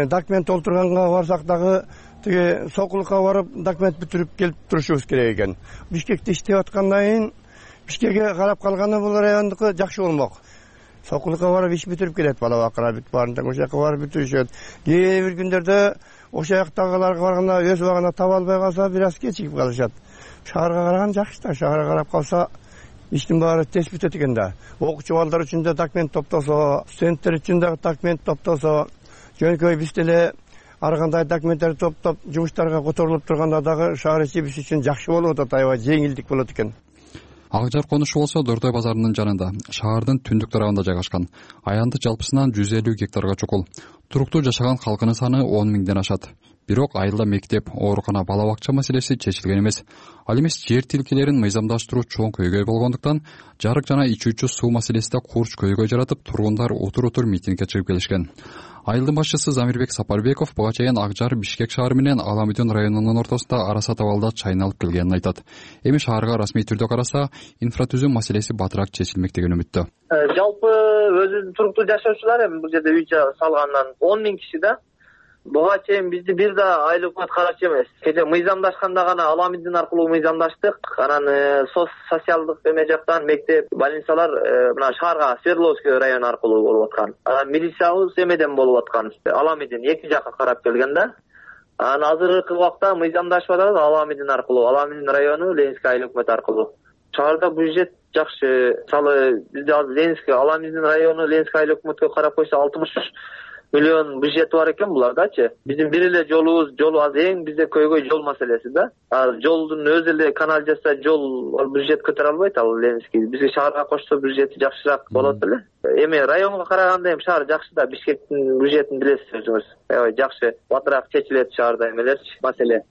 документ толтурганга барсак дагы тиги Сокулукка барып документ бүтүрүп келип турушубуз керек экен. Бишкекте иштеп аткандан кийин Бишкекке карап калганы бул райондуку жакшы болмок. Сокулукка барып иш бүтүрүп келет, бала бакыра бүт баарында ошол жака барып бүтүрүшөт. Кээ бир күндөрдө ошол жактагыларга барганда өз убагында таба албай калса бир аз кечигип калышат. Шаарга караган жакшы да, шаарга карап калса иштин баары тез бүтөт экен да. Окуучу балдар үчүн да документ топтосо, студенттер үчүн да документ топтосо, жөнөкөй биз деле ар кандай документтерди топтоп жумуштарга которулуп турганда дагы шаар ичи биз үчүн жакшы болуп атат, аябай жеңилдик болот экен. Ак жар конушу болсо Дордой базарынын жанында, шаардын түндүк тарабында жайгашкан. Аянты жалпысынан 150 гектарга чукул. Туруктуу жашаган халкынын саны 10 миңден ашат. Бирок айылда мектеп, оорукана, бала бакча маселеси чечилген эмес. Ал эмес жер тилкелерин мыйзамдаштыруу чоң көйгөй болгондуктан жарык жана ичүүчү суу маселеси да курч көйгөй жаратып, тургундар утур митингге чыгып келишкен. Айылдын башчысы Замирбек Сапарбеков буга чейин Ак жар Бишкек шаары менен Аламүдүн районунун ортосунда араса табалда чайналып келгенин айтат. Эми шаарга расмий түрдө караса, инфратүзүм маселеси батыраак чечилмек деген үмүттө. Жалпы өзү туруктуу жашоочулар эми бул жерде үй салгандан 10 миң киши да. Буга чейин бизди бир да айыл өкмөт карачу эмес. Кече мыйзамдашканда гана Аламүдүн аркылуу мыйзамдаштык. Анан социалдык эме жактан мектеп, больницалар мына шаарга Свердловский район аркылуу болуп аткан. Анан милициябыз эмеден болуп аткан. Аламүдүн эки жакка карап келген да. Анан азыркы убакта мыйзамдашып атабыз Аламүдүн аркылуу, Аламүдүн району Ленинский айыл өкмөт аркылуу. Шаарда бюджет жакшы. Мисалы бизде азыр Ленинский, Аламүдүн району Ленинский айыл өкмөткө карап койсо 63 миллион бюджети бар экен булардачы. Биздин бир эле жолубуз, азыр эң бизде көйгөй жол маселеси да. Жолдун өзү эле канал жасса жол бюджет көтөрө албайт, ал Ленинский. Бизге шаарга кошсо бюджети жакшыраак болот беле. Эми районго караганда эми шаар жакшы да, Бишкектин бюджетин билесиз өзүңүз. Аябай жакшы, батыраак чечилет шаарда эмелерчи, маселе.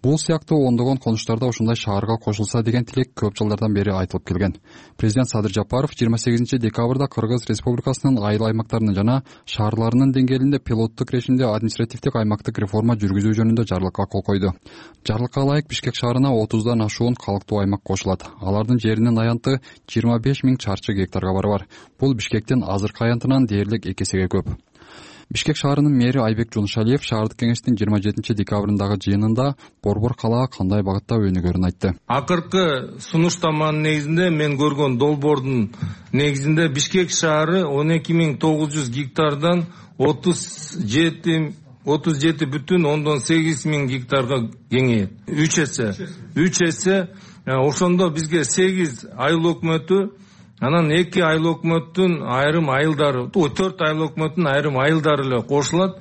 Бул сыяктуу ондогон конуштарда ушундай шаарга кошулса деген тилек көп жылдардан бери айтылып келген. Президент Садыр Жапаров 28 декабрда Кыргыз Республикасынын айыл аймактарынын жана шаарларынын деңгээлинде пилоттук режимде административдик аймактык реформа жүргүзүү жөнүндө жарлыкка кол койду. Жарлыкка ылайык Бишкек шаарына 30дан ашуун калктуу аймак кошулат. Алардын жеринин аянты 25 миң чарчы гектарга барабар. Бул Бишкектин азыркы аянтынан дээрлик 2 эсеге көп. Бишкек шаарынын мэри Айбек Жунушалиев шаардык кеңештин 27 декабрындагы жыйынында борбор калаа кандай багытта өнүгөрүн айтты. Акыркы сунуштаманын негизинде мен көргөн долбоордун негизинде Бишкек шаары 12.900 гектардан 37,8 миң гектарга кеңейет. 3 эсе. Ошондо бизге 8 айыл өкмөтү, анан 2 айыл өкмөттүн айрым айылдары, 4 айыл өкмөттүн айрым айылдары эле кошулат.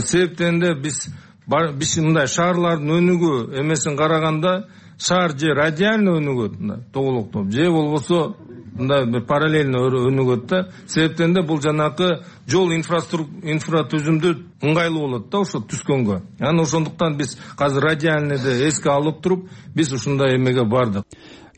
Себептен де биз мындай шаарлардын өнүгүү эмесин караганда шаар же радиально өнүгөт, тоголоктоп, же болбосо мындай бир параллельно өнүгөт да. Себептен де бул жанакы жол инфратүзүмдү ыңгайлуу болот да ошо түскөнгө. Анан ошондуктан биз азыр радиальныйды эске алып туруп, биз ушундай эмеге бардык.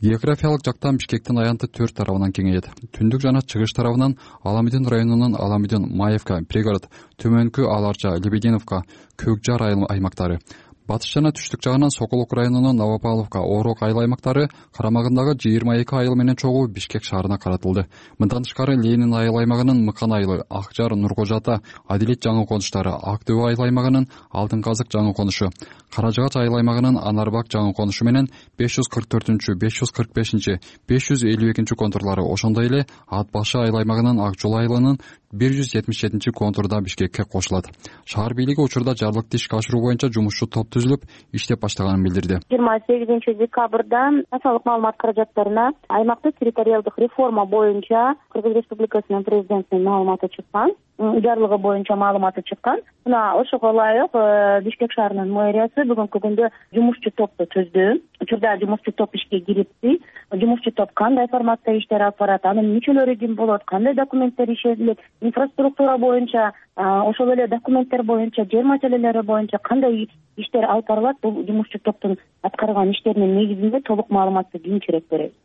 Географиялык жактан Бишкектин аянты 4 тарабынан кеңейет. Түндүк жана чыгыш тарабынан Аламидин районунун Аламидин, Маевка, Пригород, Төмөнкү Аларча, Лебединовка, Көкжар аймактары, батыш жана түштүк жагынан Сокулук районунун Новопавловка, Орок айыл аймактары карамагындагы 22 айыл менен чогуу Бишкек шаарына каратылды. Мындан тышкары Ленин айыл аймагынын Мыкан айылы, Акжар, Нуркожа ата, Адилет жаңы конуштары, Актөө айыл аймагынын Алтын казык жаңы конушу, Каражагач айыл аймагынын Анарбак жаңы конушу менен 544, 545, 552 контурлары, ошондой эле Ат башы айыл аймагынын Ак жол айылынын 177 контурда Бишкекке кошулат. Шаар бийлиги учурда жарлыкты ишке ашыруу боюнча жумушчу топ түзүлүп, иштеп баштаганын билдирди. 28 декабрда массалык маалымат каражаттарына аймактык территориалдык реформа боюнча Кыргыз Республикасынын президентинин маалыматы чыккан, жарлыгы боюнча маалыматы чыккан. Мына ошого ылайык Бишкек шаарынын мэриясы бүгүнкү күндө жумушчу топту түздү. Учурда жумушчу топ ишке кирипти. Жумушчу топ кандай форматта иштер алып барат, анын мүчөлөрү ким болот, кандай документтер ишетилет, инфраструктура боюнча, ошол эле документтер боюнча, жер маселелери боюнча кандай иштер алып барылат, бул жумушчу топтун аткарган иштеринин негизинде толук маалыматты кийинчерээк беребиз,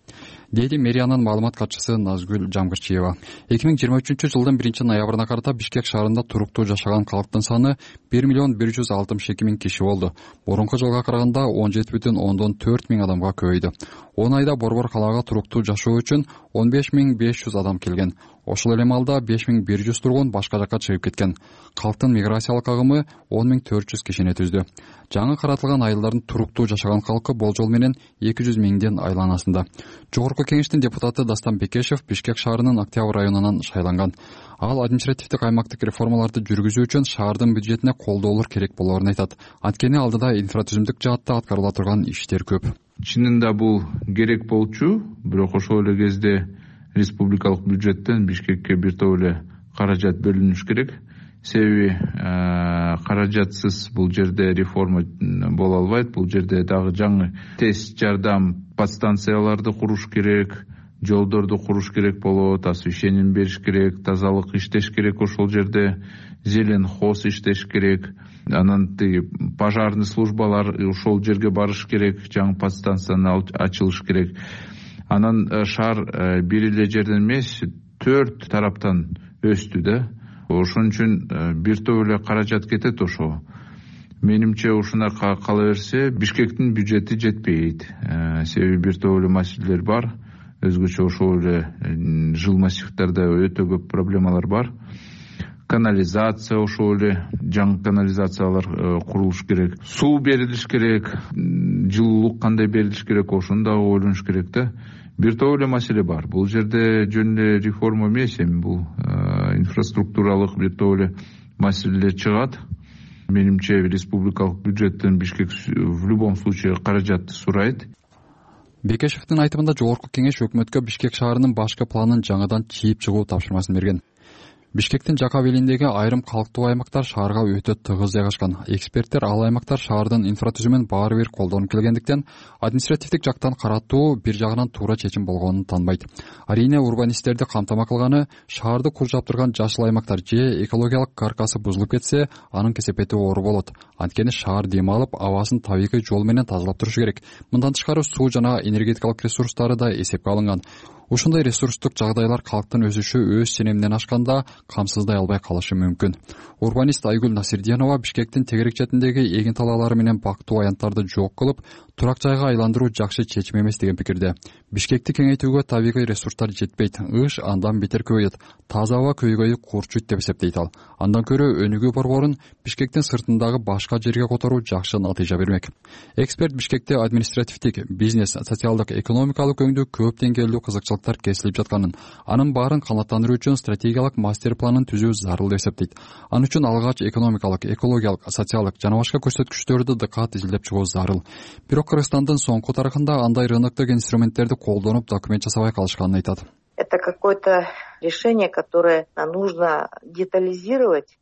дейди мэриянын маалымат катчысы Назгүл Жамгырчиева. 2023 жылдын 1-ноябрына карата Бишкек шаарында туруктуу жашаган калктын саны 1,162,000 киши болду. Мурунку жылга караганда 17,4 миң адамга көбөйдү. 10 айда Борбор калаага туруктуу жашоо үчүн 15,500 адам келген. Ошол эле маалда 5100 тургун башка жакка чыгып кеткен. Калктын миграциялык агымы 10,400 кишини түздү. Жаңы каратылган айылдардын туруктуу жашаган калкы болжол менен 200 миңден айланасында. Жогорку кеңештин депутаты Дастан Бекешев Бишкек шаарынын Октябрь районунан шайланган. Ал административдик аймактык реформаларды жүргүзүү үчүн шаардын бюджетине колдоолор керек болоорун айтат. Анткени алдыда инфратүзүмдүк жаатта аткарыла турган иштер көп. Чынында бул керек болчу, бирок ошол эле кезде республикалык бюджеттен Бишкекке бир топ эле каражат бөлүнүш керек. Себеби каражатсыз бул жерде реформа боло албайт. Бул жерде дагы жаңы тез жардам подстанцияларды куруш керек, жолдорду куруш керек болот, освещение бериш керек, тазалык иштеш керек, ошол жерде зелен хоз иштеш керек. Анан пожарный службалар ошол жерге барыш керек, жаңы подстанцияны ачылыш керек. Анан шаар бир эле жерден эмес, 4 тараптан өстү да. Ошон үчүн бир топ эле каражат кетет ошого. Менимче ушуна кала берсе Бишкектин бюджети жетпейт. Себеби бир топ эле маселелер бар. Өзгөчө ошол эле жыл массивдерде өтө көп проблемалар бар. Канализация, ошол эле жаңы канализациялар курулуш керек. Суу берилиш керек, жылуулук кандай берилиш керек, ошону да ойлонуш керек да. Бир топ эле маселе бар. Бул жерде жөн эле реформа эмес, эми бул инфраструктуралык бир топ эле маселелер чыгат. Менимче республикалык бюджеттен Бишкек в любом случае каражатты сурайт. Бекешевдин айтымында жогорку кеңеш өкмөткө Бишкек шаарынын башкы планын жаңыдан чийип чыгуу тапшырмасын берген. Бишкектин жака белиндеги айрым калктуу аймактар шаарга өтө тыгыз жайгашкан. Эксперттер ал аймактар шаардын инфратүзүмүн баары бир колдонуп келгендиктен административдик жактан каратуу бир жагынан туура чечим болгонун таанбайт. Арийне урбанисттерди камтама кылганы шаарды куржаптырган жашыл аймактар же экологиялык каркасы бузулуп кетсе, анын кесепети оор болот. Анткени шаар дем алып, абасын табигый жол менен тазалап турушу керек. Мындан тышкары суу жана энергетикалык ресурстары да эсепке алынган. Ушундай ресурстук жагдайлар калктын өсүшү өз ченеминен ашканда камсыздай албай калышы мүмкүн. Урбанист Айгүл Насирдиянова Бишкектин тегерек четиндеги эгин талаалары менен бактуу аянттарды жок кылып, турак жайга айландыруу жакшы чечим эмес деген пикирде. Бишкекти кеңейтүүгө табигый ресурстар жетпейт. Ыш андан бетер көбөйөт. Таза аба көйгөйү курчуйт деп эсептейт ал. Андан көрө өнүгүү борборун Бишкектин сыртындагы башка жерге которуу жакшы натыйжа бермек. Эксперт Бишкекте административдик, бизнес, социалдык, экономикалык өңдүү көп деңгээлдүү кызыкчылыктар кесилип жатканын, анын баарын канааттандыруу үчүн стратегиялык мастер планын түзүү зарыл деп эсептейт. Анын үчүн алгач экономикалык, экологиялык, социалдык жана башка көрсөткүчтөрдү дыкат изилдеп чыгуу зарыл. Бирок Кыргызстандын соңку тарыхында андай рыноктук инструменттерди колдонуп документ жасабай калышканын айтат. Это какое-то решение, которое нужно детализировать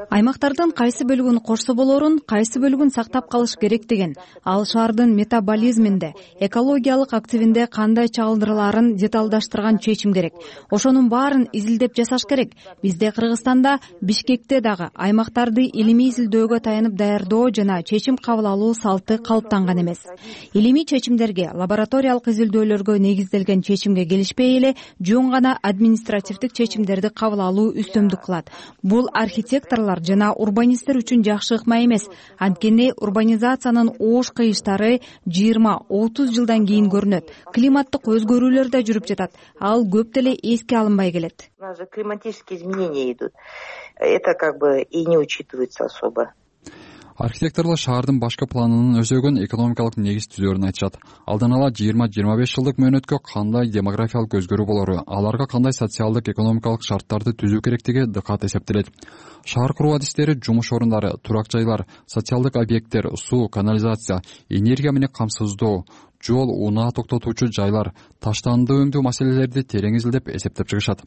аймактардын кайсы бөлүгүн корсо болорун, кайсы бөлүгүн сактап калыш керек деген, ал шаардын метаболизминде, экологиялык активинде кандай чагылдырылаарын деталдаштырган чечим керек. Ошонун баарын изилдеп жасаш керек. Бизде Кыргызстанда, Бишкекте дагы аймактарды илимий изилдөөгө таянып даярдоо жана чечим кабыл алуу салты калыптанган эмес. Илимий чечимдерге, лабораториялык изилдөөлөргө негизделген чечимге келишпей эле жөн гана административдик чечимдерди кабыл алуу үстөмдүк кылат. Бул архитекторлор жана урбанисттер үчүн жакшы ыкма эмес. Анткени урбанизациянын оош кыйыштары 20-30 жылдан кийин көрүнөт. Климаттык өзгөрүүлөр да жүрүп жатат. Ал көп деле эске алынбай келет. У нас же климатические изменения идут. Это и не учитывается особо. Архитекторлор шаардын башкы планынын өзөгөн экономикалык негиз түзөөрүн айтышат. Алдан ала 20-25 жылдык мөөнөткө кандай демографиялык өзгөрүү болору, аларга кандай социалдык экономикалык шарттарды түзүү керектиги дыкат эсептелет. Шаар куруу адистери жумуш орундары, турак жайлар, социалдык объекттер, суу, канализация, энергия менен камсыздоо, жол, унаа токтотуучу жайлар, таштанды өңдөө маселелерди терең изилдеп эсептеп чыгышат.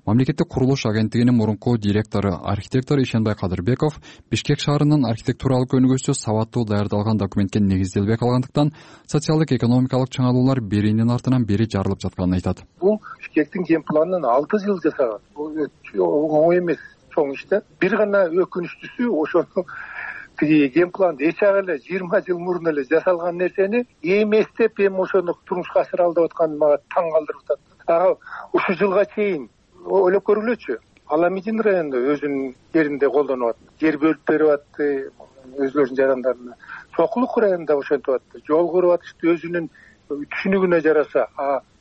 Мамлекеттик курулуш агенттигинин мурунку директору, архитектор Ишенбай Кадырбеков Бишкек шаарынын архитектуралык өнүгүүсү сабаттуу даярдалган документке негизделбей калгандыктан социалдык экономикалык чыңалуулар биринин артынан бири жарылып жатканын айтат. Бул Бишкектин ген планын 6 жыл жасаган. Бул оңой эмес, чоң иш да. Бир гана өкүнүчтүүсү ошону ген планды эч эле 20 жыл мурун эле жасалган нерсени эместеп эми ошону турмушка ашыра алып атканы мага таң калтырып атат. Ага ушул жылга чейин ойлоп көргүлөчү. Аламидин районунда өзүнүн жеринде колдонуп атты. Жер бөлүп берип атты өзлөрүнүн жарандарына. Сокулук районунда ошентип атты. Жол куруп атышты өзүнүн түшүнүгүнө жараша.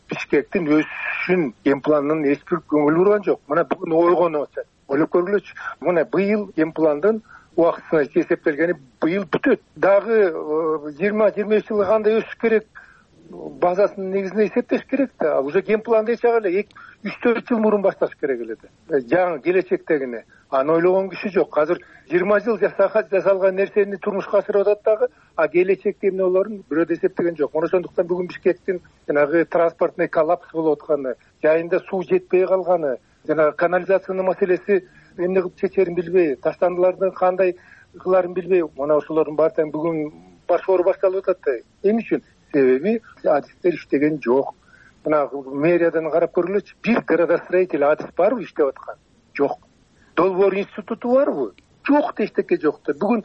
Бишкектин өсүшүн ген планынын эч бир көңүл бурган жок. Мына бүгүн ойгонуп атат. Ойлоп көргүлөчү. Мына быйыл ген пландын убактысына эсептелгени быйыл бүтөт. Дагы 20-25 жылга кандай өсүш керек? Базасынын негизинде эсептеш керек да. Уже ген планды эч эле 3-4 жыл мурун башташ керек эле да. Жаңы келечектегине. Аны ойлогон киши жок. Азыр 20 жыл жасалган нерсени турмушка ашырып атат дагы, келечекте эмне болорун бирөө эсептеген жок. Ошондуктан бүгүн Бишкектин жанагы транспортный коллапс болуп атканы, жайында суу жетпей калганы, жанагы канализациянын маселеси эмне кылып чечерин билбей, таштандылардын кандай кыларын билбей, мына ошолордун баардыгы бүгүн башкаруу башталып атат да. Эмне үчүн? Себеби адистер иштеген жок. Мына мэриядан карап көргүлөчү. Бир градостроитель адис барбы иштеп аткан? Жок. Долбоор институту барбы? Жок, эчтеке жок да. Бүгүн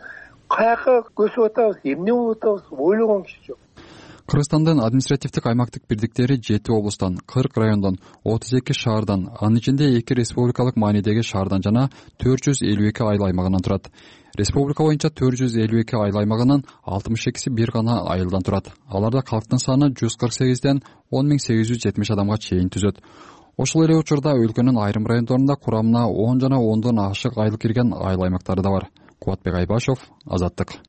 каяка көсүп атабыз, эмне болуп атабыз, ойлогон киши жок. Кыргызстандын административдик аймактык бирдиктери 7 облустан, 40 райондон, 32 шаардан, анын ичинде 2 республикалык маанидеги шаардан жана 452 айыл аймагынан турат. Республика боюнча 452 айыл аймагынын 62си бир гана айылдан турат. Аларда калктын саны 148ден 10.870 адамга чейин түзөт. Ошол эле учурда өлкөнүн айрым райондорунда курамына 10 жана 10дон ашык айыл кирген айыл аймактары да бар. Кубатбек Айбашов, Азаттык.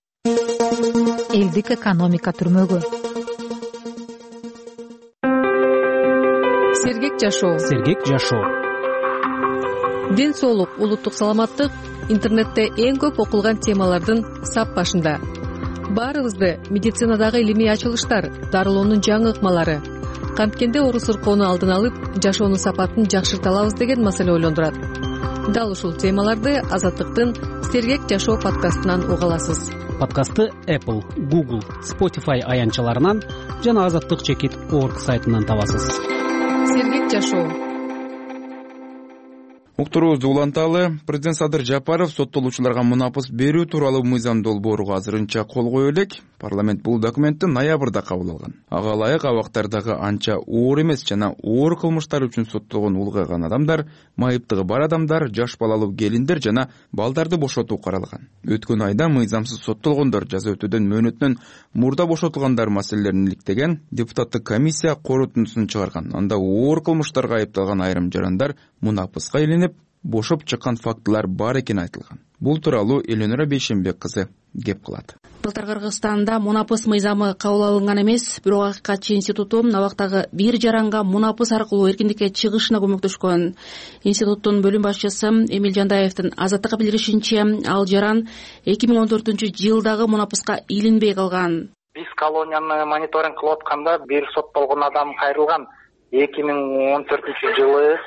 Элдик экономика түрмөгү. Сергек жашоо. Ден соолук, улуттук саламаттык интернетте эң көп окулган темалардын сап башында. Баарыбызды медицинадагы илимий ачылыштар, дарылоонун жаңы ыкмалары, канткенде оору сыркоону алдын алып, жашоонун сапатын жакшырта алабыз деген маселе ойлондурат. Дал ушул темаларды Азаттыктын Сергек жашоо подкастынан уга аласыз. Подкастты Apple, Google, Spotify аянтчаларынан жана azattik.org сайтынан табасыз. Сергек жашоо. Уктуруубузду уланталы. Президент Садыр Жапаров соттолуучуларга мунапыс берүү тууралуу мыйзам долбоору азырынча кол кое элек. Парламент бул документти ноябрда кабыл алган. Ага ылайык абактардагы анча оор эмес жана оор кылмыштар үчүн соттолгон улгайган адамдар, майыптыгы бар адамдар, жаш балалуу келиндер жана балдарды бошотуу каралган. Өткөн айда мыйзамсыз соттолгондор жаза өтөөдөн мөөнөтүнөн мурда бошотулгандар маселелерин иликтеген депутаттык комиссия корутундусун чыгарган. Анда оор кылмыштарга айыпталган айрым жарандар мунапыска илинип, бошоп чыккан фактылар бар экени айтылган. Бул тууралуу Эленора Бейшенбек кызы кеп кылат. Былтыр Кыргызстанда мунапыс мыйзамы кабыл алынган эмес, бирок Акыйкатчы институту абактагы бир жаранга мунапыс аркылуу эркиндикке чыгышына көмөктөшкөн. Институттун бөлүм башчысы Эмил Жандаевдин Азаттыкка билдиришинче, ал жаран 2014-жылдагы мунапыска илинбей калган. Биз колонияны мониторинг кылып атканда бир соттолгон адам кайрылган. 2014-жылы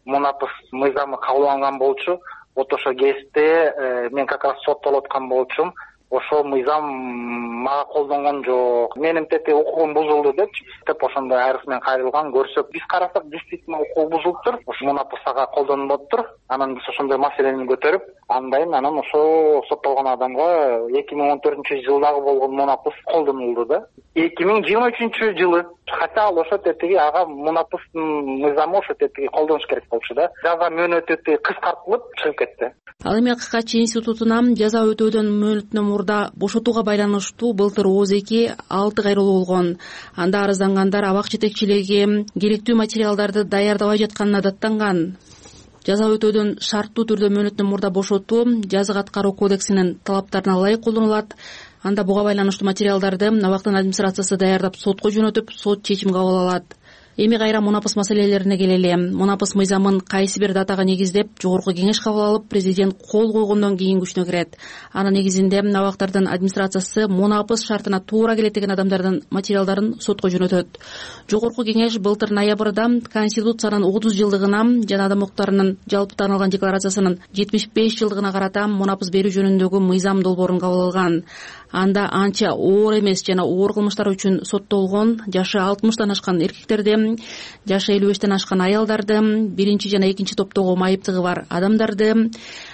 мунапыс мыйзамы кабыл алынган болчу. вот ошо кезипте мен как раз соттолуп аткан болчумун. Ошол мыйзам мага колдонгон жок. Менин тети укугум бузулду деп ошондой арыз менен кайрылган. Көрсөк биз карасак действительно укугу бузулуптур. Ошо мунапыс ага колдонулуптур. Анан биз ошондой маселени көтөрүп, андайын анан ошо соттолгон адамга 2014-жылдагы болгон мунапыс колдонулду да. 2023-жылы хотя ал ошо тетиги ага мунапыстын мыйзамы ошо тетиги колдонуш керек болчу да. Жаза мөөнөтү кыскартылып чыгып кетти. Ал эми ККЧ институтуна жаза өтөөдөн мөөнөтүнөн мурда бошотууга байланыштуу былтыр ООЗ-2 6 кайрылуу болгон. Анда арыздангандар абак жетекчилиги керектүү материалдарды даярдабай жатканына даттанган. Жаза өтөөдөн шарттуу түрдө мөөнөтүнөн мурда бошотуу жазык аткаруу кодексинин талаптарына ылайык колдонулат. Анда буга байланыштуу материалдарды абактын администрациясы даярдап сотко жөнөтүп, сот чечим кабыл алат. Эми кайра мунапыс маселелерине келели. Мунапыс мыйзамын кайсы бир датага негиздеп жогорку кеңеш кабыл алып, президент кол койгондон кийин күчүнө кирет. Анын негизинде абактардын администрациясы мунапыс шартына туура келет деген адамдардын материалдарын сотко жөнөтөт. Жогорку кеңеш былтыр ноябрда Конституциянын 30 жылдыгына жана адам укуктарынын жалпы таанылган декларациясынын 75 жылдыгына карата мунапыс берүү жөнүндөгү мыйзам долбоорун кабыл алган. Анда анча оор эмес жана оор кылмыштар үчүн соттолгон жашы 60-тан ашкан эркектерди, жашы 55-тен ашкан аялдарды, биринчи жана экинчи топтогу майыптыгы бар адамдарды,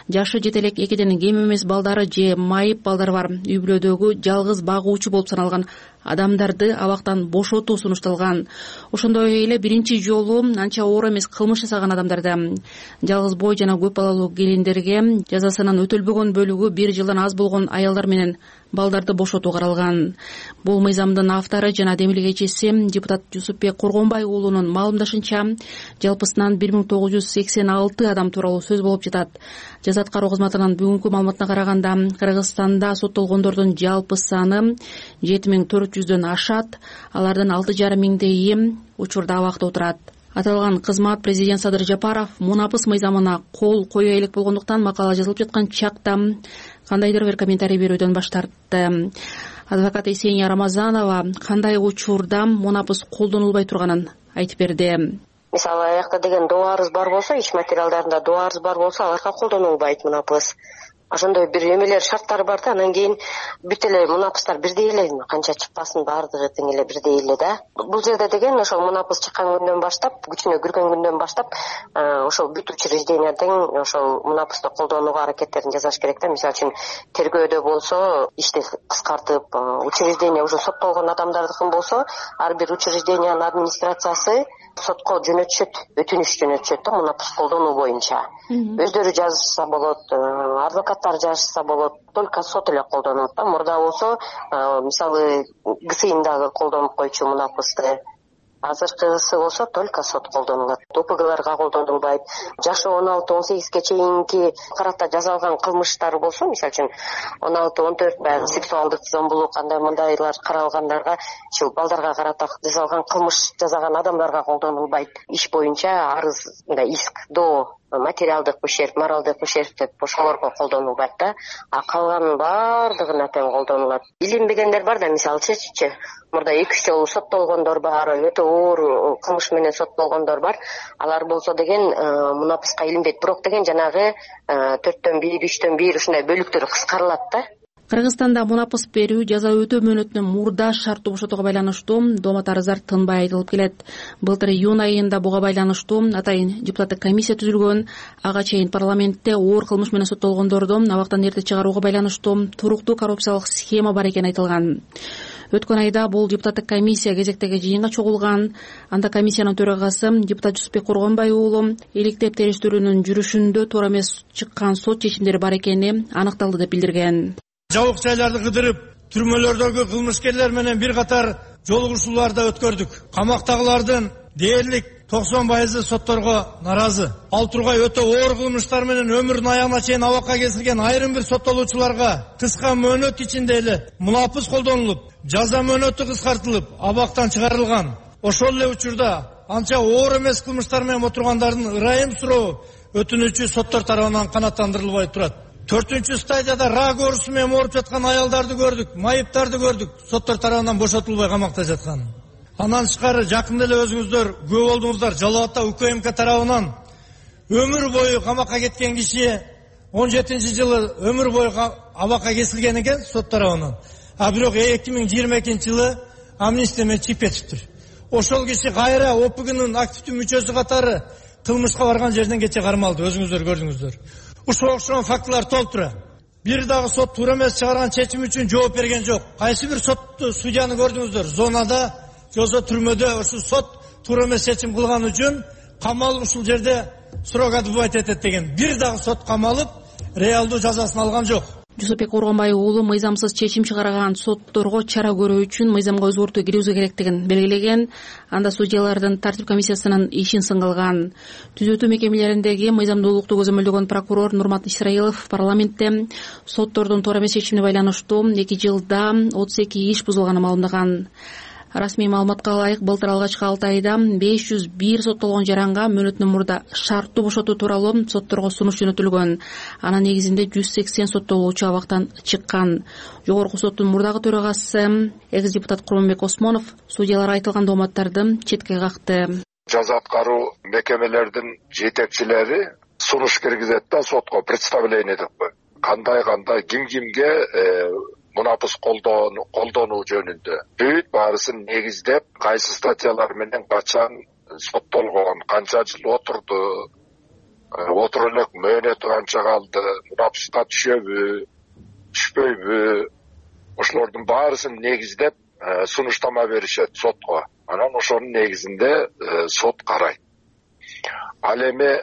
жашы жетелек 2ден кем эмес балдары же майып балдары бар үй бүлөдөгү жалгыз багуучу болуп саналган адамдарды абактан бошотуу сунушталган. Ошондой эле биринчи жолу анча оор эмес кылмыш жасаган адамдарды, жалгыз бой жана көп балалуу келиндерге, жазасынын өтөлбөгөн бөлүгү 1 жылдан аз болгон аялдар менен балдарды бошотуу каралган. Бул мыйзамдын автору жана демилгечиси депутат Жусупбек Коргонбай уулунун маалымдашынча, жалпысынан 1986 адам тууралуу сөз болуп жатат. Жаза аткаруу кызматынын бүгүнкү маалыматына караганда, Кыргызстанда соттолгондордун жалпы саны 7400дөн ашат. Алардын 6,5 миңдейи учурда абакта отурат. Аталган кызмат президент Садыр Жапаров мунапыс мыйзамына кол кое элек болгондуктан макала жазылып жаткан чакта кандайдыр бир комментарий берүүдөн баш тартты. Адвокат Есения Рамазанова кандай учурда мунапыс колдонулбай турганын айтып берди. Мисалы, аякта деген доо арыз бар болсо, иш материалдарында доо арыз бар болсо, аларга колдонулбайт мунапыс. Ошондой бир эмелер шарттары бар да, анан кийин бүт эле мунапыстар бирдей эле, канча чыкпасын баардыгы тең эле бирдей эле да. Бул жерде деген ошол мунапыс чыккан күндөн баштап, күчүнө кирген күндөн баштап, ошол бүт учреждения тең ошол мунапысты колдонууга аракеттерин жасаш керек да. Мисалы үчүн тергөөдө болсо, ишти кыскартып, учреждение уже соттолгон адамдардыкын болсо, ар бир учреждениянын администрациясы сотко жөнөтүшөт, өтүнүш жөнөтүшөт да мунапыс колдонуу боюнча. Өздөрү жазса болот, адвокаттар жазса болот, только сот эле колдонот да. Мурда болсо, мисалы, ГСИНдагы колдонуп койчу мунапысты. Азыркысы болсо только сот колдонулат. ОПГларга колдонулбайт. Жашы 16-18ге чейинки карата жасалган кылмыштар болсо, мисалы үчүн 16-14 баягы сексуалдык зомбулук кандай мындайлар каралгандарга, ушул балдарга карата жасалган кылмыш жасаган адамдарга колдонулбайт. Иш боюнча арыз, мындай иск, доо, материалдык ущерб, моралдык ущерб деп ошолорго колдонулбайт да. А калганын баардыгына тең колдонулат. Илинбегендер бар да, мисалычы, мурда 2 жолу соттолгондор бар, өтө оор кылмыш менен соттолгондор бар. Алар болсо деген мунапыска илинбейт. Бирок деген жанагы 4төн 1, 3төн 1 ушундай бөлүктөрү кыскарылат да. Кыргызстанда мунапыс берүү жаза өтөө мөөнөтүнөн мурда шарттуу бошотууга байланыштуу доомат арыздар тынбай айтылып келет. Былтыр июнь айында буга байланыштуу атайын депутаттык комиссия түзүлгөн. Ага чейин парламентте оор кылмыш менен соттолгондорду абактан эрте чыгарууга байланыштуу туруктуу коррупциялык схема бар экени айтылган. Өткөн айда бул депутаттык комиссия кезектеги жыйынга чогулган. Анда комиссиянын төрагасы депутат Жусупбек Коргонбай уулу иликтеп териштирүүнүн жүрүшүндө туура эмес чыккан сот чечимдери бар экени аныкталды деп билдирген. Жабык жайларды кыдырып, түрмөлөрдөгү кылмышкерлер менен бир катар жолугушууларды өткөрдүк. Камактагылардын дээрлик 90% сотторго наразы. Ал тургай өтө оор кылмыштар менен өмүрүнүн аягына чейин абакка кесилген айрым бир соттолуучуларга кыска мөөнөт ичинде эле мунапыс колдонулуп, жаза мөөнөтү кыскартылып, абактан чыгарылган. Ошол эле учурда анча оор эмес кылмыштар менен отургандардын ырайым суроо өтүнүүчү соттор тарабынан канааттандырылбай турат. 4-чү стадияда рак оорусу менен ооруп жаткан аялдарды көрдүк, майыптарды көрдүк, соттор тарабынан бошотулбай камакта жаткан. Андан тышкары жакында эле өзүңүздөр күбө болдуңуздар, Жалал Абадта УКМК тарабынан өмүр бою камакка кеткен киши жылы өмүр бою абакка кесилген экен сот тарабынан. А бирок 2022 амнистия менен чыгып кетиптир. Ошол киши кайра ОПГнын активдүү мүчөсү катары кылмышка барган жерден кече кармалды. Өзүңүздөр көрдүңүздөр. Ушуга окшогон фактылар толтура. Бир дагы сот туура эмес чыгарган чечим үчүн жооп берген жок. Кайсы бир сотту судьяны көрдүңүздөр? Зонада, жосо түрмөдө ушул сот туура эмес чечим кылган үчүн камалып ушул жерде срок отбывать этет деген. Бир дагы сот камалып, реалдуу жазасын алган жок. Жусупбек Оргонбай уулу мыйзамсыз чечим чыгарган сотторго чара көрүү үчүн мыйзамга өзгөртүү киргизүү керектигин белгилеген. Анда судьялардын тартип комиссиясынын ишин сынгылган. Түзөтүү мекемелериндеги мыйзамдуулукту көзөмөлдөгөн прокурор Нурмат Исраилов парламентте соттордун туура эмес чечимине байланыштуу 2 жылда 32 иш бузулганын маалымдаган. Расмий маалыматка ылайык былтыр алгачкы 6 айда 501 соттолгон жаранга мөөнөтүнөн мурда шарттуу бошотуу тууралуу сотторго сунуш жөнөтүлгөн. Анын негизинде 180 соттолуучу абактан чыккан. Жогорку соттун мурдагы төрагасы экс-депутат Курманбек Осмонов судьялар айтылган дооматтарды четке какты. Жаза аткаруу мекемелердин жетекчилери сунуш киргизет да сотко представление деп кой. Кандай кимге мунапыс колдонуу жөнүндө бүт баарысын негиздеп, кайсы статьялар менен качан соттолгон, канча жыл отурду, отуруп элек мөөнөтү канча калды, мунапыска түшөбү, түшпөйбү, ошолордун баарысын негиздеп сунуштама беришет сотко. Анан ошонун негизинде сот карайт. Ал эми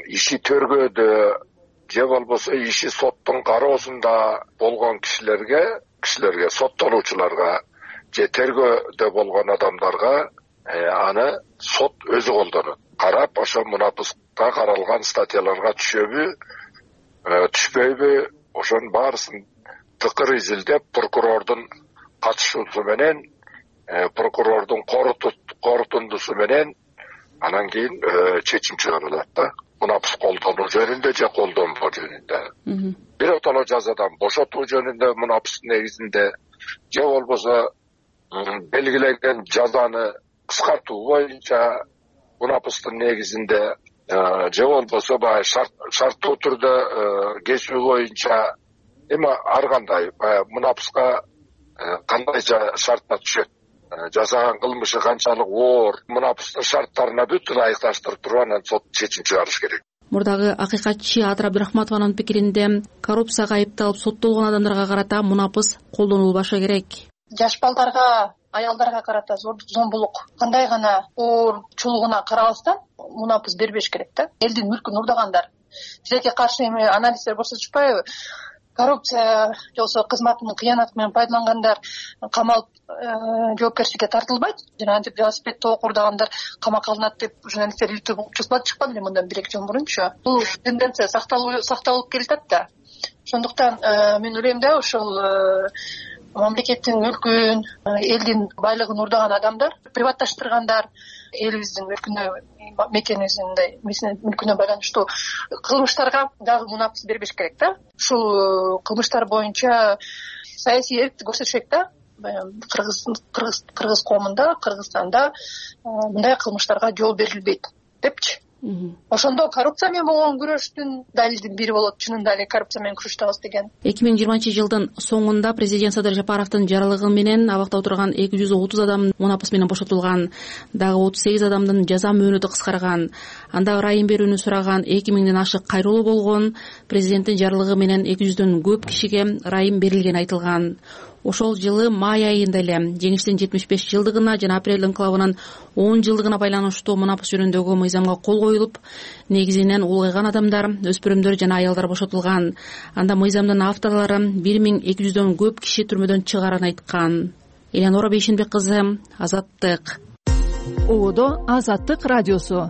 иши төргөдө же болбосо иши соттун кароосунда болгон кишилерге, соттолуучуларга же тергөөдө болгон адамдарга аны сот өзү колдонот. Карап, ошо мунапыска каралган статьяларга түшөбү, түшпөйбү, ошонун баарысын тыкыр изилдеп, прокурордун катышуусу менен, прокурордун корутундусу менен анан кийин чечим чыгарылат да. Мунапыс колдонуу жөнүндө же колдонбоо жөнүндө. Биротоло жазадан бошотуу жөнүндө мунапыстын негизинде же болбосо белгилеген жазаны кыскартуу боюнча мунапыстын негизинде же болбосо баягы шарттуу түрдө кесүү боюнча эми ар кандай мунапыска кандайча шартта түшөт, жасаган кылмышы канчалык оор, мунапыстын шарттарына бүт ылайыкташтырып туруп анан сот чечим чыгарыш керек. Мурдагы акыйкатчы Атыр Абдырахматованын пикиринде коррупцияга айыпталып соттолгон адамдарга карата мунапыс колдонулбашы керек. Жаш балдарга, аялдарга карата зомбулук кандай гана оорчулугуна карабастан мунапыс бербеш керек да. Элдин мүлкүн урдагандар. Тилекке каршы эми анализдер көрсөтүшпайбы? Коррупция же болбосо кызматынын кыянаты менен пайдалангандар камалып жоопкерчиликке тартылбайт. Жана антип велосипедди окурдагандар камакка алынат деп журналисттер чыкпады эле мындан 1-2 жыл мурунчу. Бул тенденция сакталып келатат да. Ошондуктан мен ойлойм да ушул мамлекеттин мүлкүн, элдин байлыгын урдаган адамдар, приватташтыргандар, элибиздин мүлкүнө, мекенибиздин мүлкүнө байланыштуу кылмыштарга дагы мунапыс бербеш керек да. Ушул кылмыштар боюнча саясий эрктик көрсөтүшөт да. Кыргыз коомунда, Кыргызстанда мындай кылмыштарга жол берилбейт депчи. Ошондо коррупция менен болгон күрөштүн далилдин бири болот. Чынында эле коррупция менен күрөштөбүз деген. 2020-жылдын соңунда президент Садыр Жапаровдун жаралыгы менен абакта отурган 230 адам мунапыс менен бошотулган. Дагы 38 адамдын жаза мөөнөтү кыскарган. Анда ырайым берүүнү сураган 2000ден ашык кайрылуу болгон. Президенттин жаралыгы менен 200дөн көп кишиге ырайым берилгени айтылган. Ошол жылы май айында эле жеңиштин 75 жылдыгына жана апрель инкылабынын 10 жылдыгына байланыштуу мунапыс жөнүндөгү мыйзамга кол коюлуп, негизинен улгайган адамдар, өспүрүмдөр жана аялдар бошотулган. Анда мыйзамдын авторлору 1200дөн көп киши түрмөдөн чыгарын айткан. Элеонора Бейшенбек кызы, Азаттык. Одо Азаттык радиосу.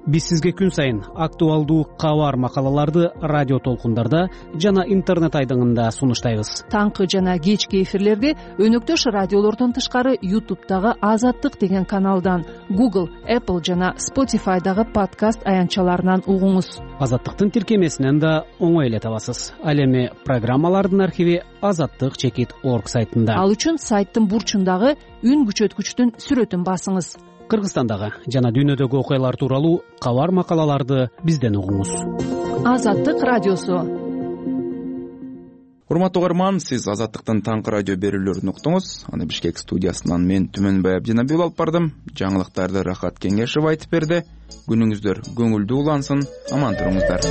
Биз сизге күн сайын актуалдуу кабар макалаларды радио толкундарда жана интернет айдыңында сунуштайбыз. Таңкы жана кечки эфирлерди өнөктөш радиолордон тышкары YouTube'дагы Азаттык деген каналдан, Google, Apple жана Spotify'дагы подкаст аянтчаларынан угуңуз. Азаттыктын тиркемесинен да оңой эле табасыз. Ал эми программалардын архиви azattik.org сайтында. Ал үчүн сайттын бурчундагы үн күчөткүчтүн сүрөтүн басыңыз. Кыргызстандагы жана дүйнөдөгү окуялар тууралуу кабар макалаларды бизден угуңуз. Азаттык радиосу. урматтуу угарман, сиз Азаттыктын таңкы радио берүүлөрүн уктуңуз. Аны Бишкек студиясынан мен Түмөнбай Абдинабиул алып бардым. Жаңылыктарды Рахат Кеңешев айтып берди. Күнүңүздөр көңүлдүү улансын, аман туруңуздар.